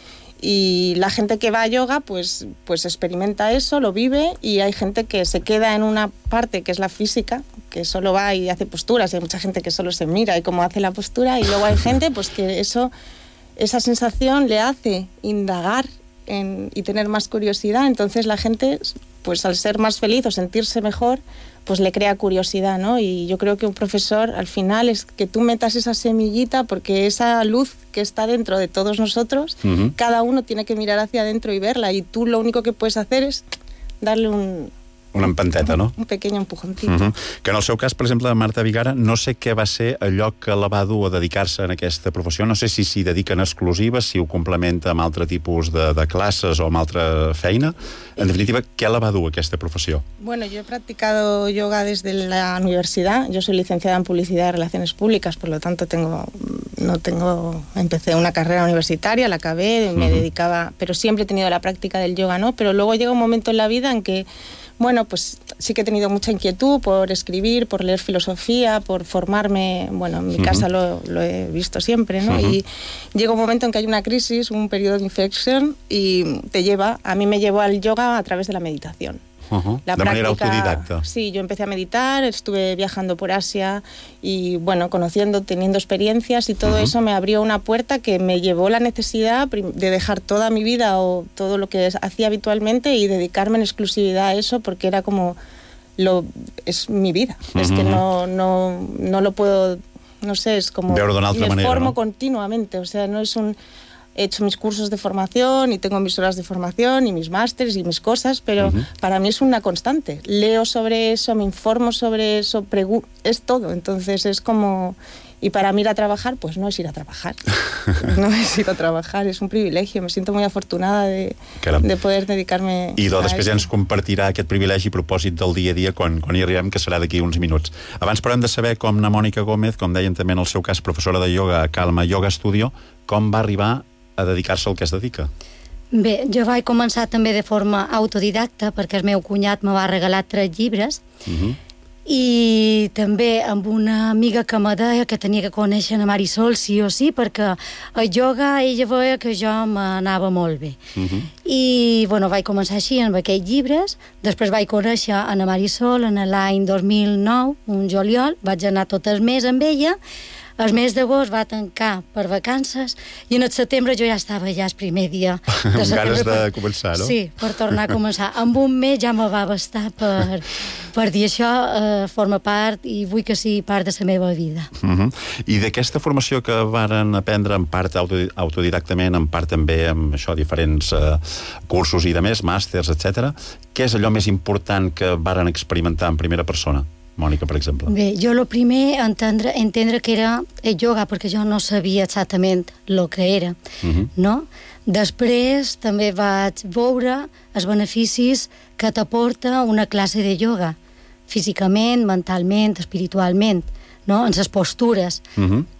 Y la gente que va a yoga pues experimenta eso, lo vive, y hay gente que se queda en una parte que es la física, que solo va y hace posturas, y hay mucha gente que solo se mira y cómo hace la postura, y luego hay gente pues que esa sensación le hace indagar y tener más curiosidad. Entonces la gente, pues al ser más feliz o sentirse mejor, pues le crea curiosidad, ¿no? Y yo creo que un profesor, al final, es que tú metas esa semillita, porque esa luz que está dentro de todos nosotros, cada uno tiene que mirar hacia adentro y verla, y tú lo único que puedes hacer és darle una empanteta, no? Un pequeño empujoncito. Que en el seu cas, per exemple, Marta Vigara, no sé què va ser allò que la va dur a dedicar-se en aquesta professió, no sé si s'hi dedica en exclusiva, si ho complementa amb altre tipus de classes o amb altra feina. En definitiva, què la va dur a aquesta professió? Bueno, yo he practicado yoga desde la universidad. Yo soy licenciada en Publicidad y Relaciones Públicas, por lo tanto empecé una carrera universitaria, la acabé, me dedicaba, pero siempre he tenido la práctica del yoga, ¿no? Pero luego llega un momento en la vida en que, bueno, pues sí que he tenido mucha inquietud por escribir, por leer filosofía, por formarme. Bueno, en mi casa lo he visto siempre, ¿no? Y llega un momento en que hay una crisis, un periodo de inflexión, y a mí me llevó al yoga a través de la meditación. De manera autodidacta. Sí, yo empecé a meditar, estuve viajando por Asia y, bueno, teniendo experiencias, y todo eso me abrió una puerta que me llevó la necesidad de dejar toda mi vida o todo lo que hacía habitualmente y dedicarme en exclusividad a eso, porque era como es mi vida. Es que no lo puedo, no sé, es como me formo continuamente, o sea, no es he hecho mis cursos de formación y tengo mis horas de formación y mis másteres y mis cosas, pero para mí es una constante. Leo sobre eso, me informo sobre eso, es todo. Entonces es como... Y para mí ir a trabajar, pues no es ir a trabajar. No es ir a trabajar, és un privilegi. Me siento muy afortunada de poder dedicar-me I després ja ens compartirà aquest privilegi a propòsit del dia a dia quan hi arribem, que serà d'aquí uns minuts. Abans, però, hem de saber com na Mònica Gómez, com deien també en el seu cas, professora de ioga a Calma Yoga Studio, com va arribar a dedicar-se al que es dedica? Bé, jo vaig començar també de forma autodidacta, perquè el meu cunyat me va regalar 3 llibres, i també amb una amiga que me deia que tenia que conèixer a Marisol sí o sí, perquè a yoga ella veia que jo m'anava molt bé. I, bueno, vaig començar així amb aquests llibres, després vaig conèixer a Marisol en l'any 2009, un juliol, vaig anar tot el mes amb ella. El mes d'agost va tancar per vacances i en el setembre jo ja estava el primer dia de setembre. Amb ganes de començar, no? Sí, per tornar a començar. Amb un mes ja me va bastar per dir això forma part i vull que sigui part de la meva vida. I d'aquesta formació que varen aprendre en part autodidactament, en part també amb això, diferents cursos i de més, màsters, etc., què és allò més important que varen experimentar en primera persona? Mònica, per exemple. Bé, jo el primer entendre que era el yoga, perquè jo no sabia exactament el que era, no? Després també vaig veure els beneficis que t'aporta una classe de yoga, físicament, mentalment, espiritualment, no? En les postures.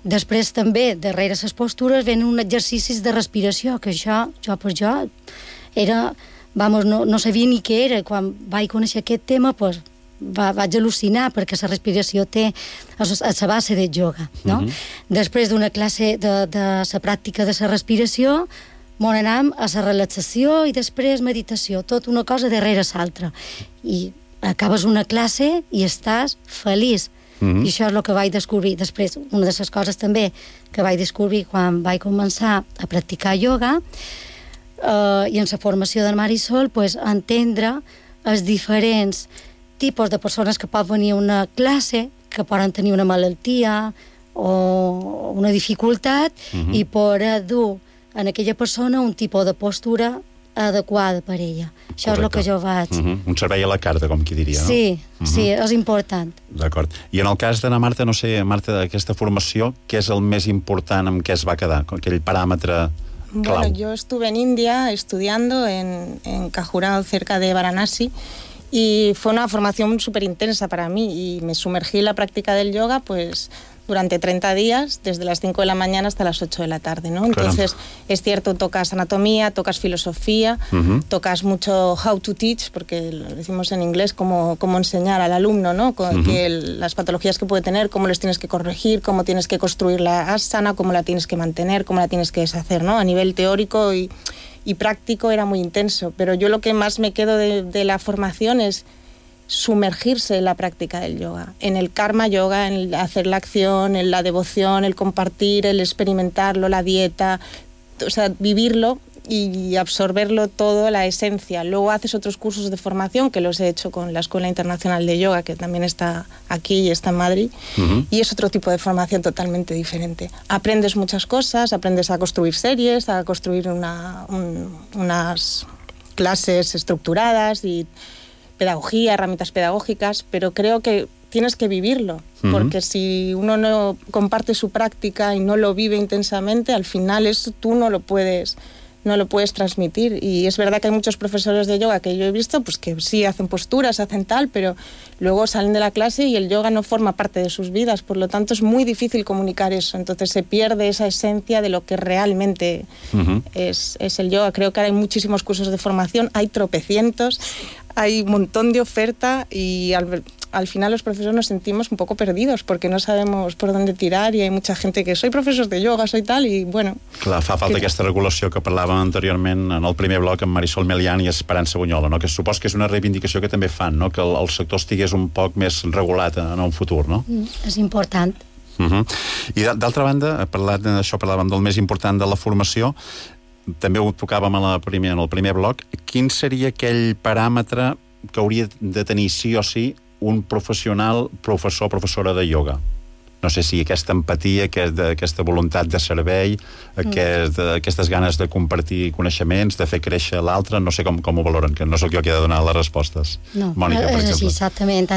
Després també, darrere les postures, venen uns exercicis de respiració, que això, jo era, no sabia ni què era. Quan vaig conèixer aquest tema, doncs, vaig al·lucinar, perquè la respiració té a la base del yoga, no? Després d'una classe de la pràctica de la respiració, on anem a la relaxació i després meditació, tot una cosa darrere l'altra. I acabes una classe i estàs feliç. I això és el que vaig descobrir. Després, una de les coses també que vaig descobrir quan vaig començar a practicar yoga i en la formació de Marisol, entendre els diferents tipus de persones que pot venir a una classe, que poden tenir una malaltia o una dificultat, i poder dur en aquella persona un tipus de postura adequada per ella. Això és el que jo vaig... Un servei a la carta, com qui diria, no? Sí, sí, és important. D'acord. I en el cas d'Anna Marta, no sé, Marta, d'aquesta formació, què és el més important amb què es va quedar? Aquell paràmetre clau. Bueno, yo estuve en India estudiando en Khajuraho, cerca de Varanasi, y fue una formación súper intensa para mí, y me sumergí en la práctica del yoga pues durante 30 días, desde las 5 de la mañana hasta las 8 de la tarde, ¿no? Entonces, es cierto, tocas anatomía, tocas filosofía, tocas mucho how to teach, porque lo decimos en inglés, cómo enseñar al alumno, ¿no? Que las patologías que puede tener, cómo les tienes que corregir, cómo tienes que construir la asana, cómo la tienes que mantener, cómo la tienes que deshacer, ¿no? A nivel teórico y práctico era muy intenso, pero yo lo que más me quedo de la formación es sumergirse en la práctica del yoga, en el karma yoga, en el hacer la acción, en la devoción, el compartir, el experimentarlo, la dieta, o sea, vivirlo y absorberlo todo, la esencia. Luego haces otros cursos de formación, que los he hecho con la Escuela Internacional de Yoga, que también está aquí y está en Madrid, y es otro tipo de formación totalmente diferente. Aprendes muchas cosas, aprendes a construir series, a construir unas clases estructuradas y pedagogía, herramientas pedagógicas, pero creo que tienes que vivirlo, porque si uno no comparte su práctica y no lo vive intensamente, al final eso tú no lo puedes transmitir. Y es verdad que hay muchos profesores de yoga que yo he visto, pues que sí hacen posturas, hacen tal, pero luego salen de la clase y el yoga no forma parte de sus vidas, por lo tanto es muy difícil comunicar eso, entonces se pierde esa esencia de lo que realmente es el yoga. Creo que hay muchísimos cursos de formación, hay tropecientos, hay un montón de oferta y al final los profesores nos sentimos un poco perdidos porque no sabemos por dónde tirar, y hay mucha gente que soy profesor de yoga, soy tal, i bueno... Clar, fa falta aquesta regulació que parlàvem anteriorment en el primer bloc amb Marisol Melián i Esperança Bunyola, no? Que supos que és una reivindicació que també fan, no? Que el sector estigués un poc més regulat en un futur, no? És important. I d'altra banda, parlàvem del més important de la formació, també ho tocàvem en el primer bloc. Quin seria aquell paràmetre que hauria de tenir sí o sí un professional, professor o professora de ioga? No sé si aquesta empatia, aquesta voluntat de servei, aquestes ganes de compartir coneixements, de fer créixer l'altre, no sé com ho valoren, que no sóc jo qui ha de donar les respostes. No, Mònica, per exemple. És així, exactament.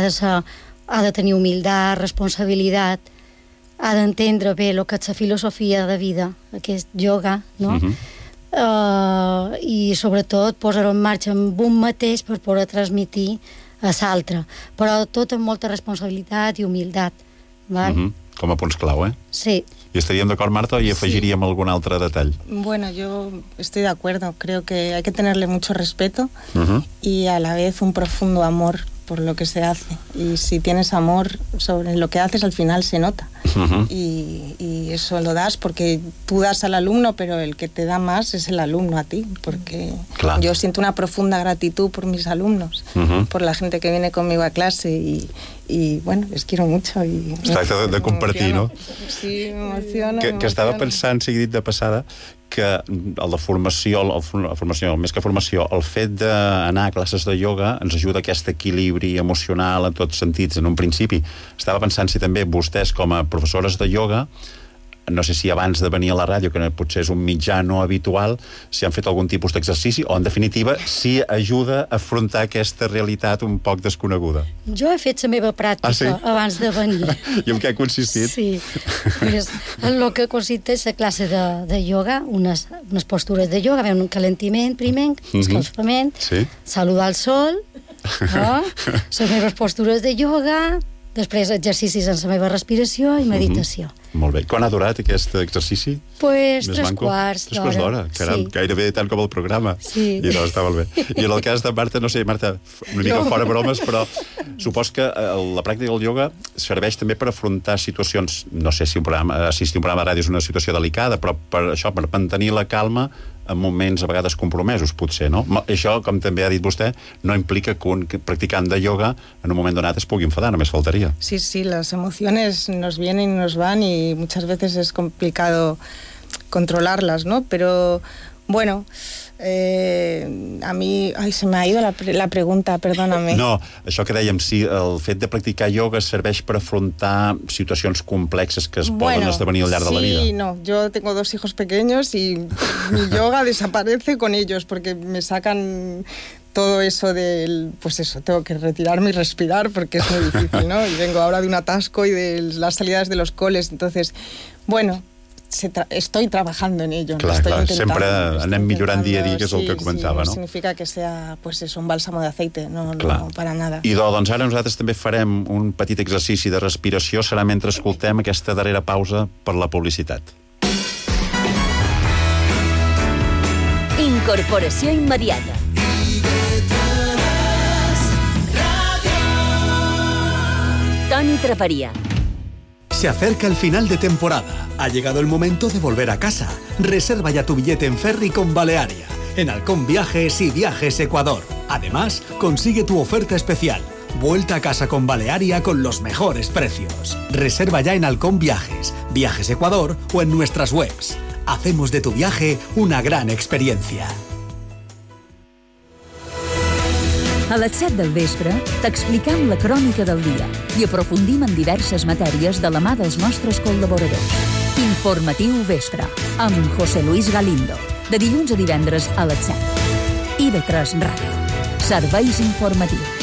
Ha de tenir humilitat, responsabilitat, ha d'entendre bé el que és la filosofia de vida, aquest ioga, no? I sobretot posar-ho en marxa amb un mateix per poder transmitir a l'altre, però tot amb molta responsabilitat i humilitat. Com a punts clau, eh? Sí. I estaríem d'acord, Marta, i afegiríem algun altre detall? Bueno, yo estoy de acuerdo. Creo que hay que tenerle mucho respeto y a la vez un profundo amor por lo que se hace. Y si tienes amor sobre lo que haces, al final se nota. Y eso lo das porque tú das al alumno, pero el que te da más es el alumno a ti, porque yo siento una profunda gratitud por mis alumnos, por la gente que viene conmigo a clase y bueno, les quiero mucho. Es tracta de compartir, no? Sí, m'emociona. Que estava pensant, sigui dit de passada, que la formació, més que formació, el fet d'anar a classes de ioga ens ajuda a aquest equilibri emocional en tots sentits, en un principi. Estava pensant si també vostès, com a professores de ioga, no sé si abans de venir a la ràdio, que potser és un mitjà no habitual, si han fet algun tipus d'exercici, o en definitiva, si ajuda a afrontar aquesta realitat un poc desconeguda. Jo he fet la meva pràctica abans de venir. I en què ha consistit? Sí, en el que consisteix la classe de ioga, unes postures de ioga, un calentiment primer, escalfament, saludar al sol, les meves postures de ioga, després exercicis en la meva respiració i meditació. Molt bé. Quan ha durat aquest exercici? Pues 3 quarts d'hora. 3 quarts d'hora, caram, gairebé tant com el programa. Sí. I no, està molt bé. I en el cas de Marta, no sé, Marta, una mica fora bromes, però supos que la pràctica del ioga serveix també per afrontar situacions, no sé si assistir a un programa de ràdio és una situació delicada, però per mantenir la calma en moments a vegades compromesos, potser, no? Això, com també ha dit vostè, no implica que un practicant de ioga en un moment donat es pugui enfadar, només faltaria. Sí, las emociones nos vienen y nos van y muchas veces es complicado controlarlas, ¿no? Pero, bueno, a mi... Ai, se m'ha ido la pregunta, perdóname. No, això que dèiem, si el fet de practicar ioga serveix per afrontar situacions complexes que es poden esdevenir al llarg de la vida. Sí, no, yo tengo 2 hijos pequeños y mi yoga desaparece con ellos porque me sacan todo eso del... Pues eso, tengo que retirarme y respirar porque es muy difícil, ¿no? Y vengo ahora de un atasco y de las salidas de los coles, entonces, bueno... estoy trabajando en ello. Clar, sempre anem millorant dia a dia, que és el que comentava, no? Significa que sea pues eso, un bálsamo de aceite, no para nada. I doncs ara nosaltres també farem un petit exercici de respiració, serà mentre escoltem aquesta darrera pausa per la publicitat. Incorporació immediata. Toni Traparia. Se acerca el final de temporada. Ha llegado el momento de volver a casa. Reserva ya tu billete en ferry con Balearia, en Halcón Viajes y Viajes Ecuador. Además, consigue tu oferta especial. Vuelta a casa con Balearia con los mejores precios. Reserva ya en Halcón Viajes, Viajes Ecuador o en nuestras webs. Hacemos de tu viaje una gran experiencia. A les 7 del vespre t'expliquem la crònica del dia i aprofundim en diverses matèries de la mà dels nostres col·laboradors. Informatiu Vespre, amb José Luis Galindo, de dilluns a divendres a les 7. IB3 Ràdio. Serveis informatius.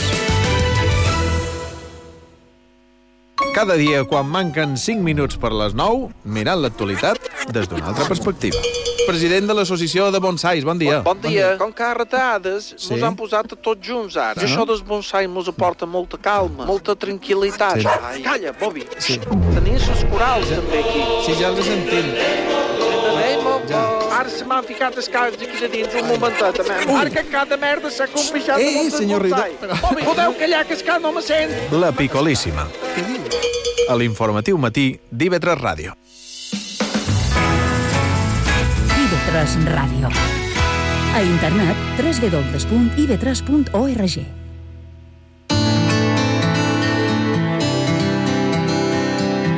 Cada dia, quan manquen 5 minuts per les 9, mirant l'actualitat des d'una altra perspectiva. President de l'Associació de Bonsais, bon dia. Bon dia. Com que a retades mos han posat a tots junts ara. I això dels bonsai mos aporta molta calma, molta tranquil·litat. Ai, calla, Bobby. Tenies els corals també aquí. Sí, ja els entenc. Ara se m'han ficat els caps aquí de dins un momentet. Ara que cada merda s'ha compixat de moltes bonsai. Bobby, podeu callar que no me sent. La Picolíssima. A l'informatiu matí d'IB3 Ràdio. IB3 Ràdio. A internet www.ib3.org.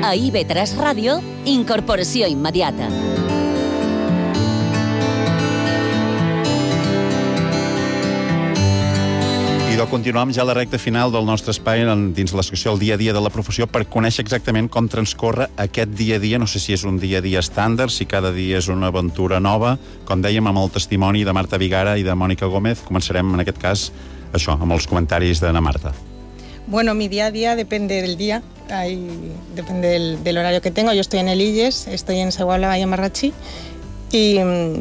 A IB3 Ràdio, incorporació immediata. I continuem ja la recta final del nostre espai dins la secció El dia a dia de la professió per conèixer exactament com transcorre aquest dia a dia. No sé si és un dia a dia estàndard, si cada dia és una aventura nova. Com dèiem, amb el testimoni de Marta Vigara i de Mònica Gómez, començarem en aquest cas això, amb els comentaris d'Anna Marta. Bueno, mi día a día depende del día, depende del horario que tengo. Yo estoy en el IES, estoy en Seguala Valle Marrachí. Y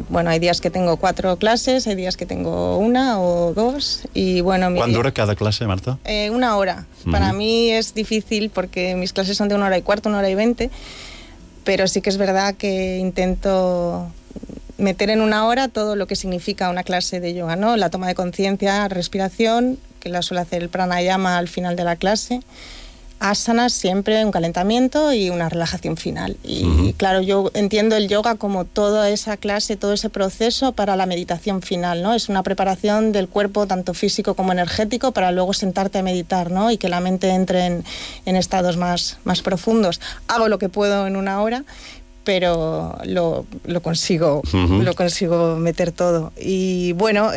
bueno, hay días que tengo 4 clases, hay días que tengo 1 o 2 y bueno... ¿Cuán dura cada clase, Marta? 1 hora. Para mí es difícil porque mis clases son de 1 hora y cuarto, 1 hora y 20, pero sí que es verdad que intento meter en 1 hora todo lo que significa una clase de yoga, ¿no? La toma de conciencia, respiración, que la suele hacer el pranayama al final de la clase, asanas siempre, un calentamiento y una relajación final. Y claro, yo entiendo el yoga como toda esa clase, todo ese proceso para la meditación final, ¿no? Es una preparación del cuerpo, tanto físico como energético, para luego sentarte a meditar, ¿no? Y que la mente entre en estados más profundos. Hago lo que puedo en 1 hora, pero lo consigo meter todo. Y bueno,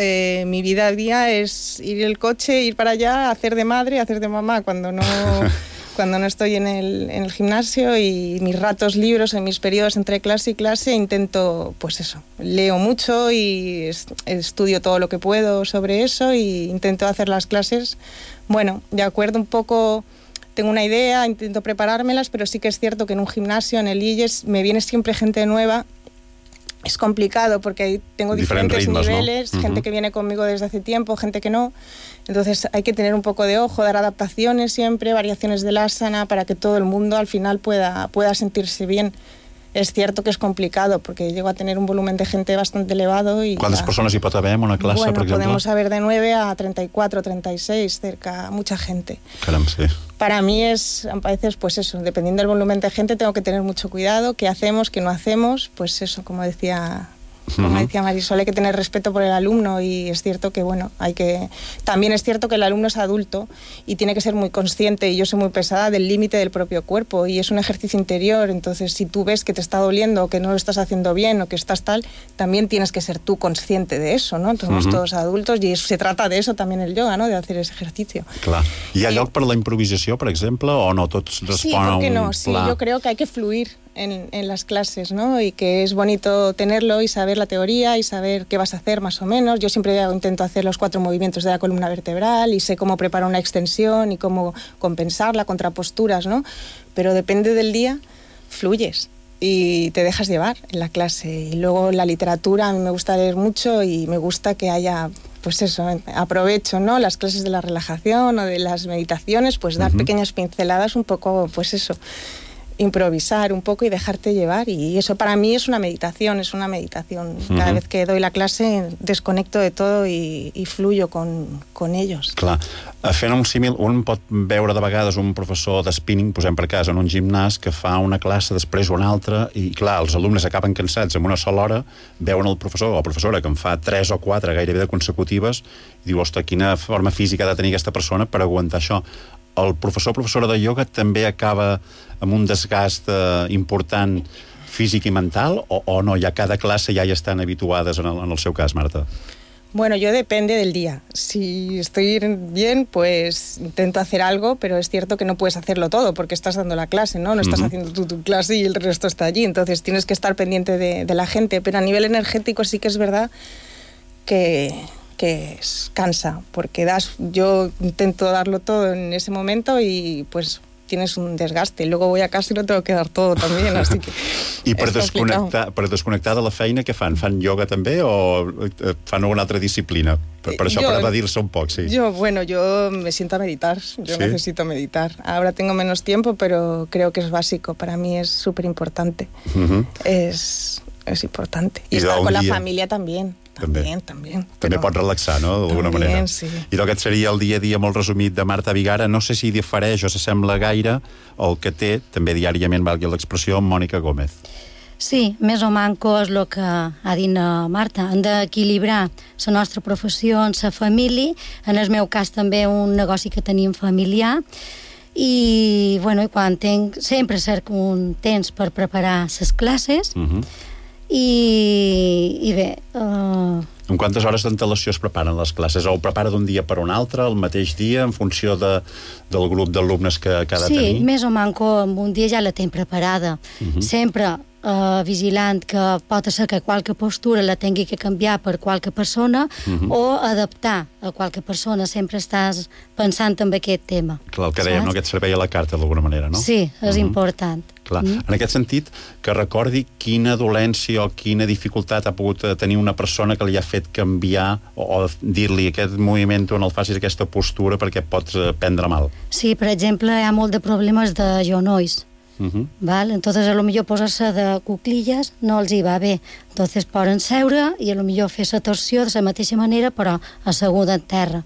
mi vida al día es ir en el coche, ir para allá, hacer de madre, hacer de mamá cuando no estoy en el gimnasio, y mis ratos libres, en mis periodos entre clase y clase, intento, pues eso, leo mucho y estudio todo lo que puedo sobre eso, y intento hacer las clases, bueno, de acuerdo un poco... Tengo una idea, intento preparármelas, pero sí que es cierto que en un gimnasio, en el IES, me viene siempre gente nueva. Es complicado porque ahí tengo diferentes ritmos, niveles, ¿no? Gente que viene conmigo desde hace tiempo, gente que no. Entonces hay que tener un poco de ojo, dar adaptaciones siempre, variaciones del asana, para que todo el mundo al final pueda sentirse bien. Es cierto que es complicado porque llego a tener un volumen de gente bastante elevado. ¿Cuántas personas hi pot haver en una clase, bueno, por ejemplo? Podemos haber de 9 a 34, 36, cerca, mucha gente. Caram, sí. Para mí es, a veces, pues eso, dependiendo del volumen de gente, tengo que tener mucho cuidado. ¿Qué hacemos, qué no hacemos? Pues eso, como decía Marisol, hay que tener respeto por el alumno, y es cierto que, bueno, también es cierto que el alumno es adulto y tiene que ser muy consciente, y yo soy muy pesada, del límite del propio cuerpo, y es un ejercicio interior. Entonces, si tú ves que te está doliendo, o que no lo estás haciendo bien, o que estás tal, también tienes que ser tú consciente de eso, ¿no? Somos todos adultos, y se trata de eso también el yoga, ¿no? De hacer ese ejercicio. Clar. Hi ha lloc per la improvisació, per exemple, o no? Tots responen a un no? Sí, yo creo que hay que fluir en las clases, ¿no? Y que es bonito tenerlo y saber la teoría y saber qué vas a hacer más o menos. Yo siempre intento hacer los 4 movimientos de la columna vertebral y sé cómo preparar una extensión y cómo compensarla, contraposturas, ¿no? Pero depende del día, fluyes y te dejas llevar en la clase. Y luego la literatura, a mí me gusta leer mucho y me gusta que haya... Pues eso, aprovecho, ¿no? Las clases de la relajación o de las meditaciones, pues dar pequeñas pinceladas, un poco, pues eso, improvisar un poco y dejarte llevar, y eso para mí es una meditación, Cada vez que doy la clase desconecto de todo i fluyo con ellos. Clar, fent un símil, un pot veure de vegades un professor de spinning, posem per cas, en un gimnàs, que fa una classe, després una altra, i clar, els alumnes acaben cansats en una sola hora, veuen el professor o professora que en fa 3 o 4 gairebé de consecutives, i diu, ostres, quina forma física ha de tenir aquesta persona per aguantar això. El professor o professora de ioga també acaba amb un desgast important físic i mental, o no? Ja cada classe ja hi estan habituades en el seu cas, Marta? Bueno, yo depende del día. Si estoy bien, pues intento hacer algo, pero es cierto que no puedes hacerlo todo porque estás dando la clase, ¿no? No estás haciendo tú tu clase y el resto está allí. Entonces tienes que estar pendiente de la gente. Pero a nivel energético sí que es verdad que cansa, porque yo intento darlo todo en ese momento y tienes un desgaste. Luego voy a casa y no tengo que dar todo también, así que... I per desconnectar de la feina, què fan? Fan ioga també o fan alguna altra disciplina? Per això, per evadir-se un poc, sí. Yo me siento a meditar. Yo necesito meditar. Ahora tengo menos tiempo, pero creo que es básico. Para mí es súper importante. Es importante. Y estar con la familia también. També pot relaxar, no?, d'alguna manera. Sí. I aquest seria el dia a dia molt resumit de Marta Vigara. No sé si difereix o s'assembla gaire el que té, també diàriament, valgui l'expressió, Mònica Gómez. Sí, més o manco és el que ha dit Marta. Hem d'equilibrar la nostra professió amb la família. En el meu cas també un negoci que tenim familiar. I quan sempre cerco un temps per preparar les classes. I bé... En quantes hores d'antelació es preparen les classes? O ho prepara d'un dia per un altre, el mateix dia, en funció del grup d'alumnes que ha de tenir? Sí, més o manco un dia ja la tinc preparada. Sempre vigilant que pot ser que qualque postura la tingui que canviar per qualque persona o adaptar a qualque persona. Sempre estàs pensant en aquest tema. Clar, el que dèiem, aquest servei a la carta, d'alguna manera, no? Sí, és important. Clar. En aquest sentit, que recordi quina dolència o quina dificultat ha pogut tenir una persona que li ha fet canviar o dir-li aquest moviment o no el facis aquesta postura perquè pots prendre mal. Sí, per exemple, hi ha molt de problemes de genolls. Entonces a lo millor posar-se de cuclilles no els hi va bé, entonces poden seure i a lo millor fer la torsió de la mateixa manera però asseguda en terra.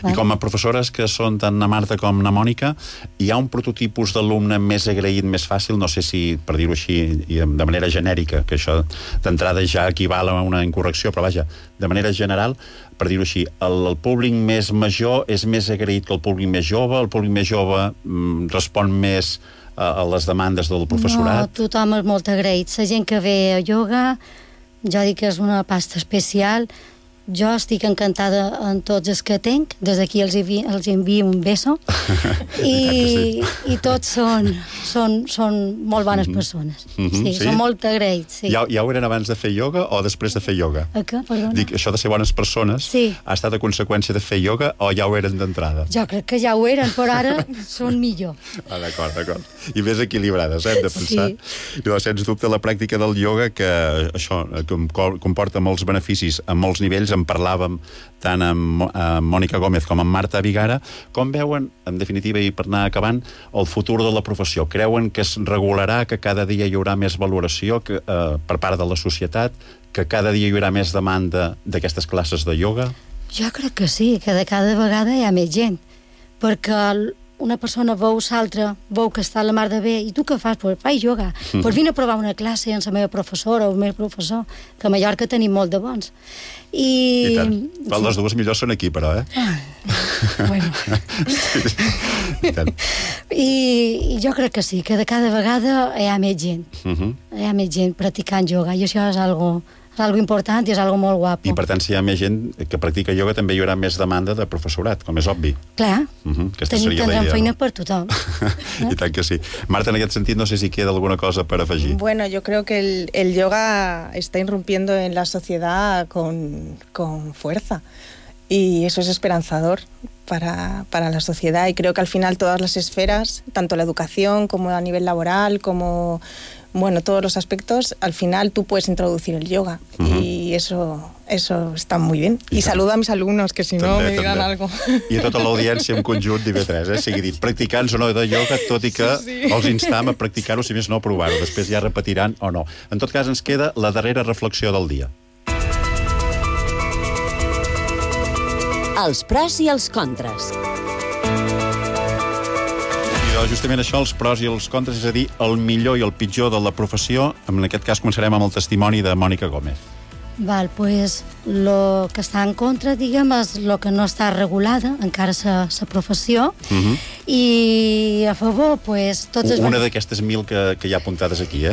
I com a professores que són tant na Marta com na Mònica, hi ha un prototipus d'alumne més agraït, més fàcil, no sé si per dir-ho així de manera genèrica, que això d'entrada ja equival a una incorrecció, però vaja, de manera general, per dir-ho així, el públic més major és més agraït que el públic més jove, el públic més jove respon més a les demandes del professorat? No, tothom és molt agraït. La gent que ve a ioga, jo dic que és una pasta especial. Jo estic encantada en tots els que tenc. Des d'aquí els envio un beso. I tots són molt bones persones. Sí, són molt agraïts. Ja ho eren abans de fer ioga o després de fer ioga? Què? Perdona? Dic, això de ser bones persones ha estat a conseqüència de fer ioga o ja ho eren d'entrada? Jo crec que ja ho eren, però ara són millor. D'acord. I més equilibrades, hem de pensar. I sens dubte la pràctica del ioga, que això comporta molts beneficis a molts nivells. En parlàvem tant amb Mònica Gómez com amb Marta Vigara. Com veuen, en definitiva, i per anar acabant, el futur de la professió? Creuen que es regularà, que cada dia hi haurà més valoració per part de la societat, que cada dia hi haurà més demanda d'aquestes classes de ioga? Jo crec que sí, que de cada vegada hi ha més gent, perquè una persona veu l'altra, veu que està a la mar de bé, i tu què fas? Pues faig ioga. Pues vine a provar una classe amb la meva professora o el meu professor, que a Mallorca tenim molt de bons. I tant. Les dues millors són aquí, però, Bueno. I jo crec que sí, que de cada vegada hi ha més gent. Hi ha més gent practicant ioga, i això és algo important i és algo molt guapo. I per tant, si hi ha més gent que practica ioga, també hi haurà més demanda de professorat, com és obvi. Clar, tindrem feina per tothom. I tant que sí. Marta, en aquest sentit, no sé si queda alguna cosa per afegir. Bueno, yo creo que el yoga está irrumpiendo en la sociedad con fuerza. Y eso es esperanzador para la sociedad. Y creo que al final todas las esferas, tanto la educación como a nivel laboral, como todos los aspectos, al final tú puedes introducir el yoga. Y eso está muy bien. I saludo a mis alumnos, que si no me digan algo. I a tota l'audiència en conjunt d'IV3, sigui dit, practicants o no de yoga, tot i que els instam a practicar-ho, si més no a provar-ho. Després ja repetiran o no. En tot cas, ens queda la darrera reflexió del dia. Els pros i els contres. Justament això, els pros i els contres, és a dir, el millor i el pitjor de la professió. En aquest cas començarem amb el testimoni de Mònica Gómez. Pues el que està en contra, diguem, és el que no està regulada encara la professió, I a favor, doncs... Una d'aquestes 1.000 que hi ha apuntades aquí,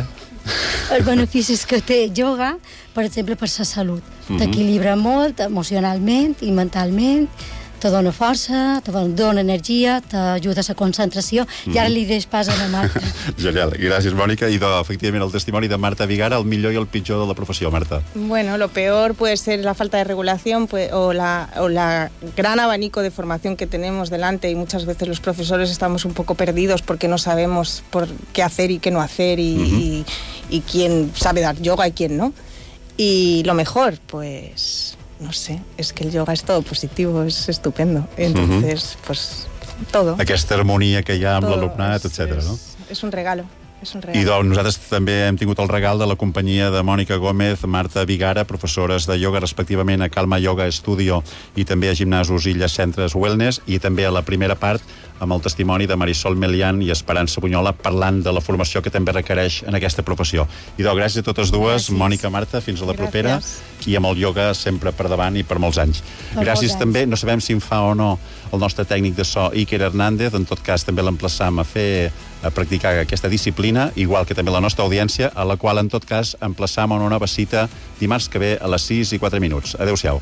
Els beneficis que té ioga, per exemple, per la salut. T'equilibra molt emocionalment i mentalment, te dona força, te dona energia, t'ajuda a la concentració, i ara li deixo pas a la Marta. Genial, gràcies, Mònica. I efectivament el testimoni de Marta Vigara, el millor i el pitjor de la professió, Marta. Bueno, lo peor puede ser la falta de regulación o la gran abanico de formación que tenemos delante, y muchas veces los profesores estamos un poco perdidos porque no sabemos por qué hacer y qué no hacer, y quién sabe dar yoga y quién no. Y lo mejor, pues... no sé, es que el yoga es todo positivo, es estupendo. Entonces, pues, todo. Aquesta harmonia que hi ha amb l'alumnat, etc. no? És un regalo. I doncs nosaltres també hem tingut el regal de la companyia de Mònica Gómez, Marta Vigara, professores de ioga respectivament a Calma Yoga Studio i també a Gimnasos Illes Centres Wellness, i també a la primera part amb el testimoni de Marisol Melián i Esperança Bunyola parlant de la formació que també requereix en aquesta professió. I doncs gràcies a totes dues, Mònica, Marta, fins a la propera, i amb el ioga sempre per davant i per molts anys. Gràcies també, no sabem si en fa o no el nostre tècnic de so, Iker Hernández, en tot cas també l'emplaçam a practicar aquesta disciplina, igual que també la nostra audiència, a la qual en tot cas emplaçam a una nova cita dimarts que ve a les 6:04. Adéu-siau.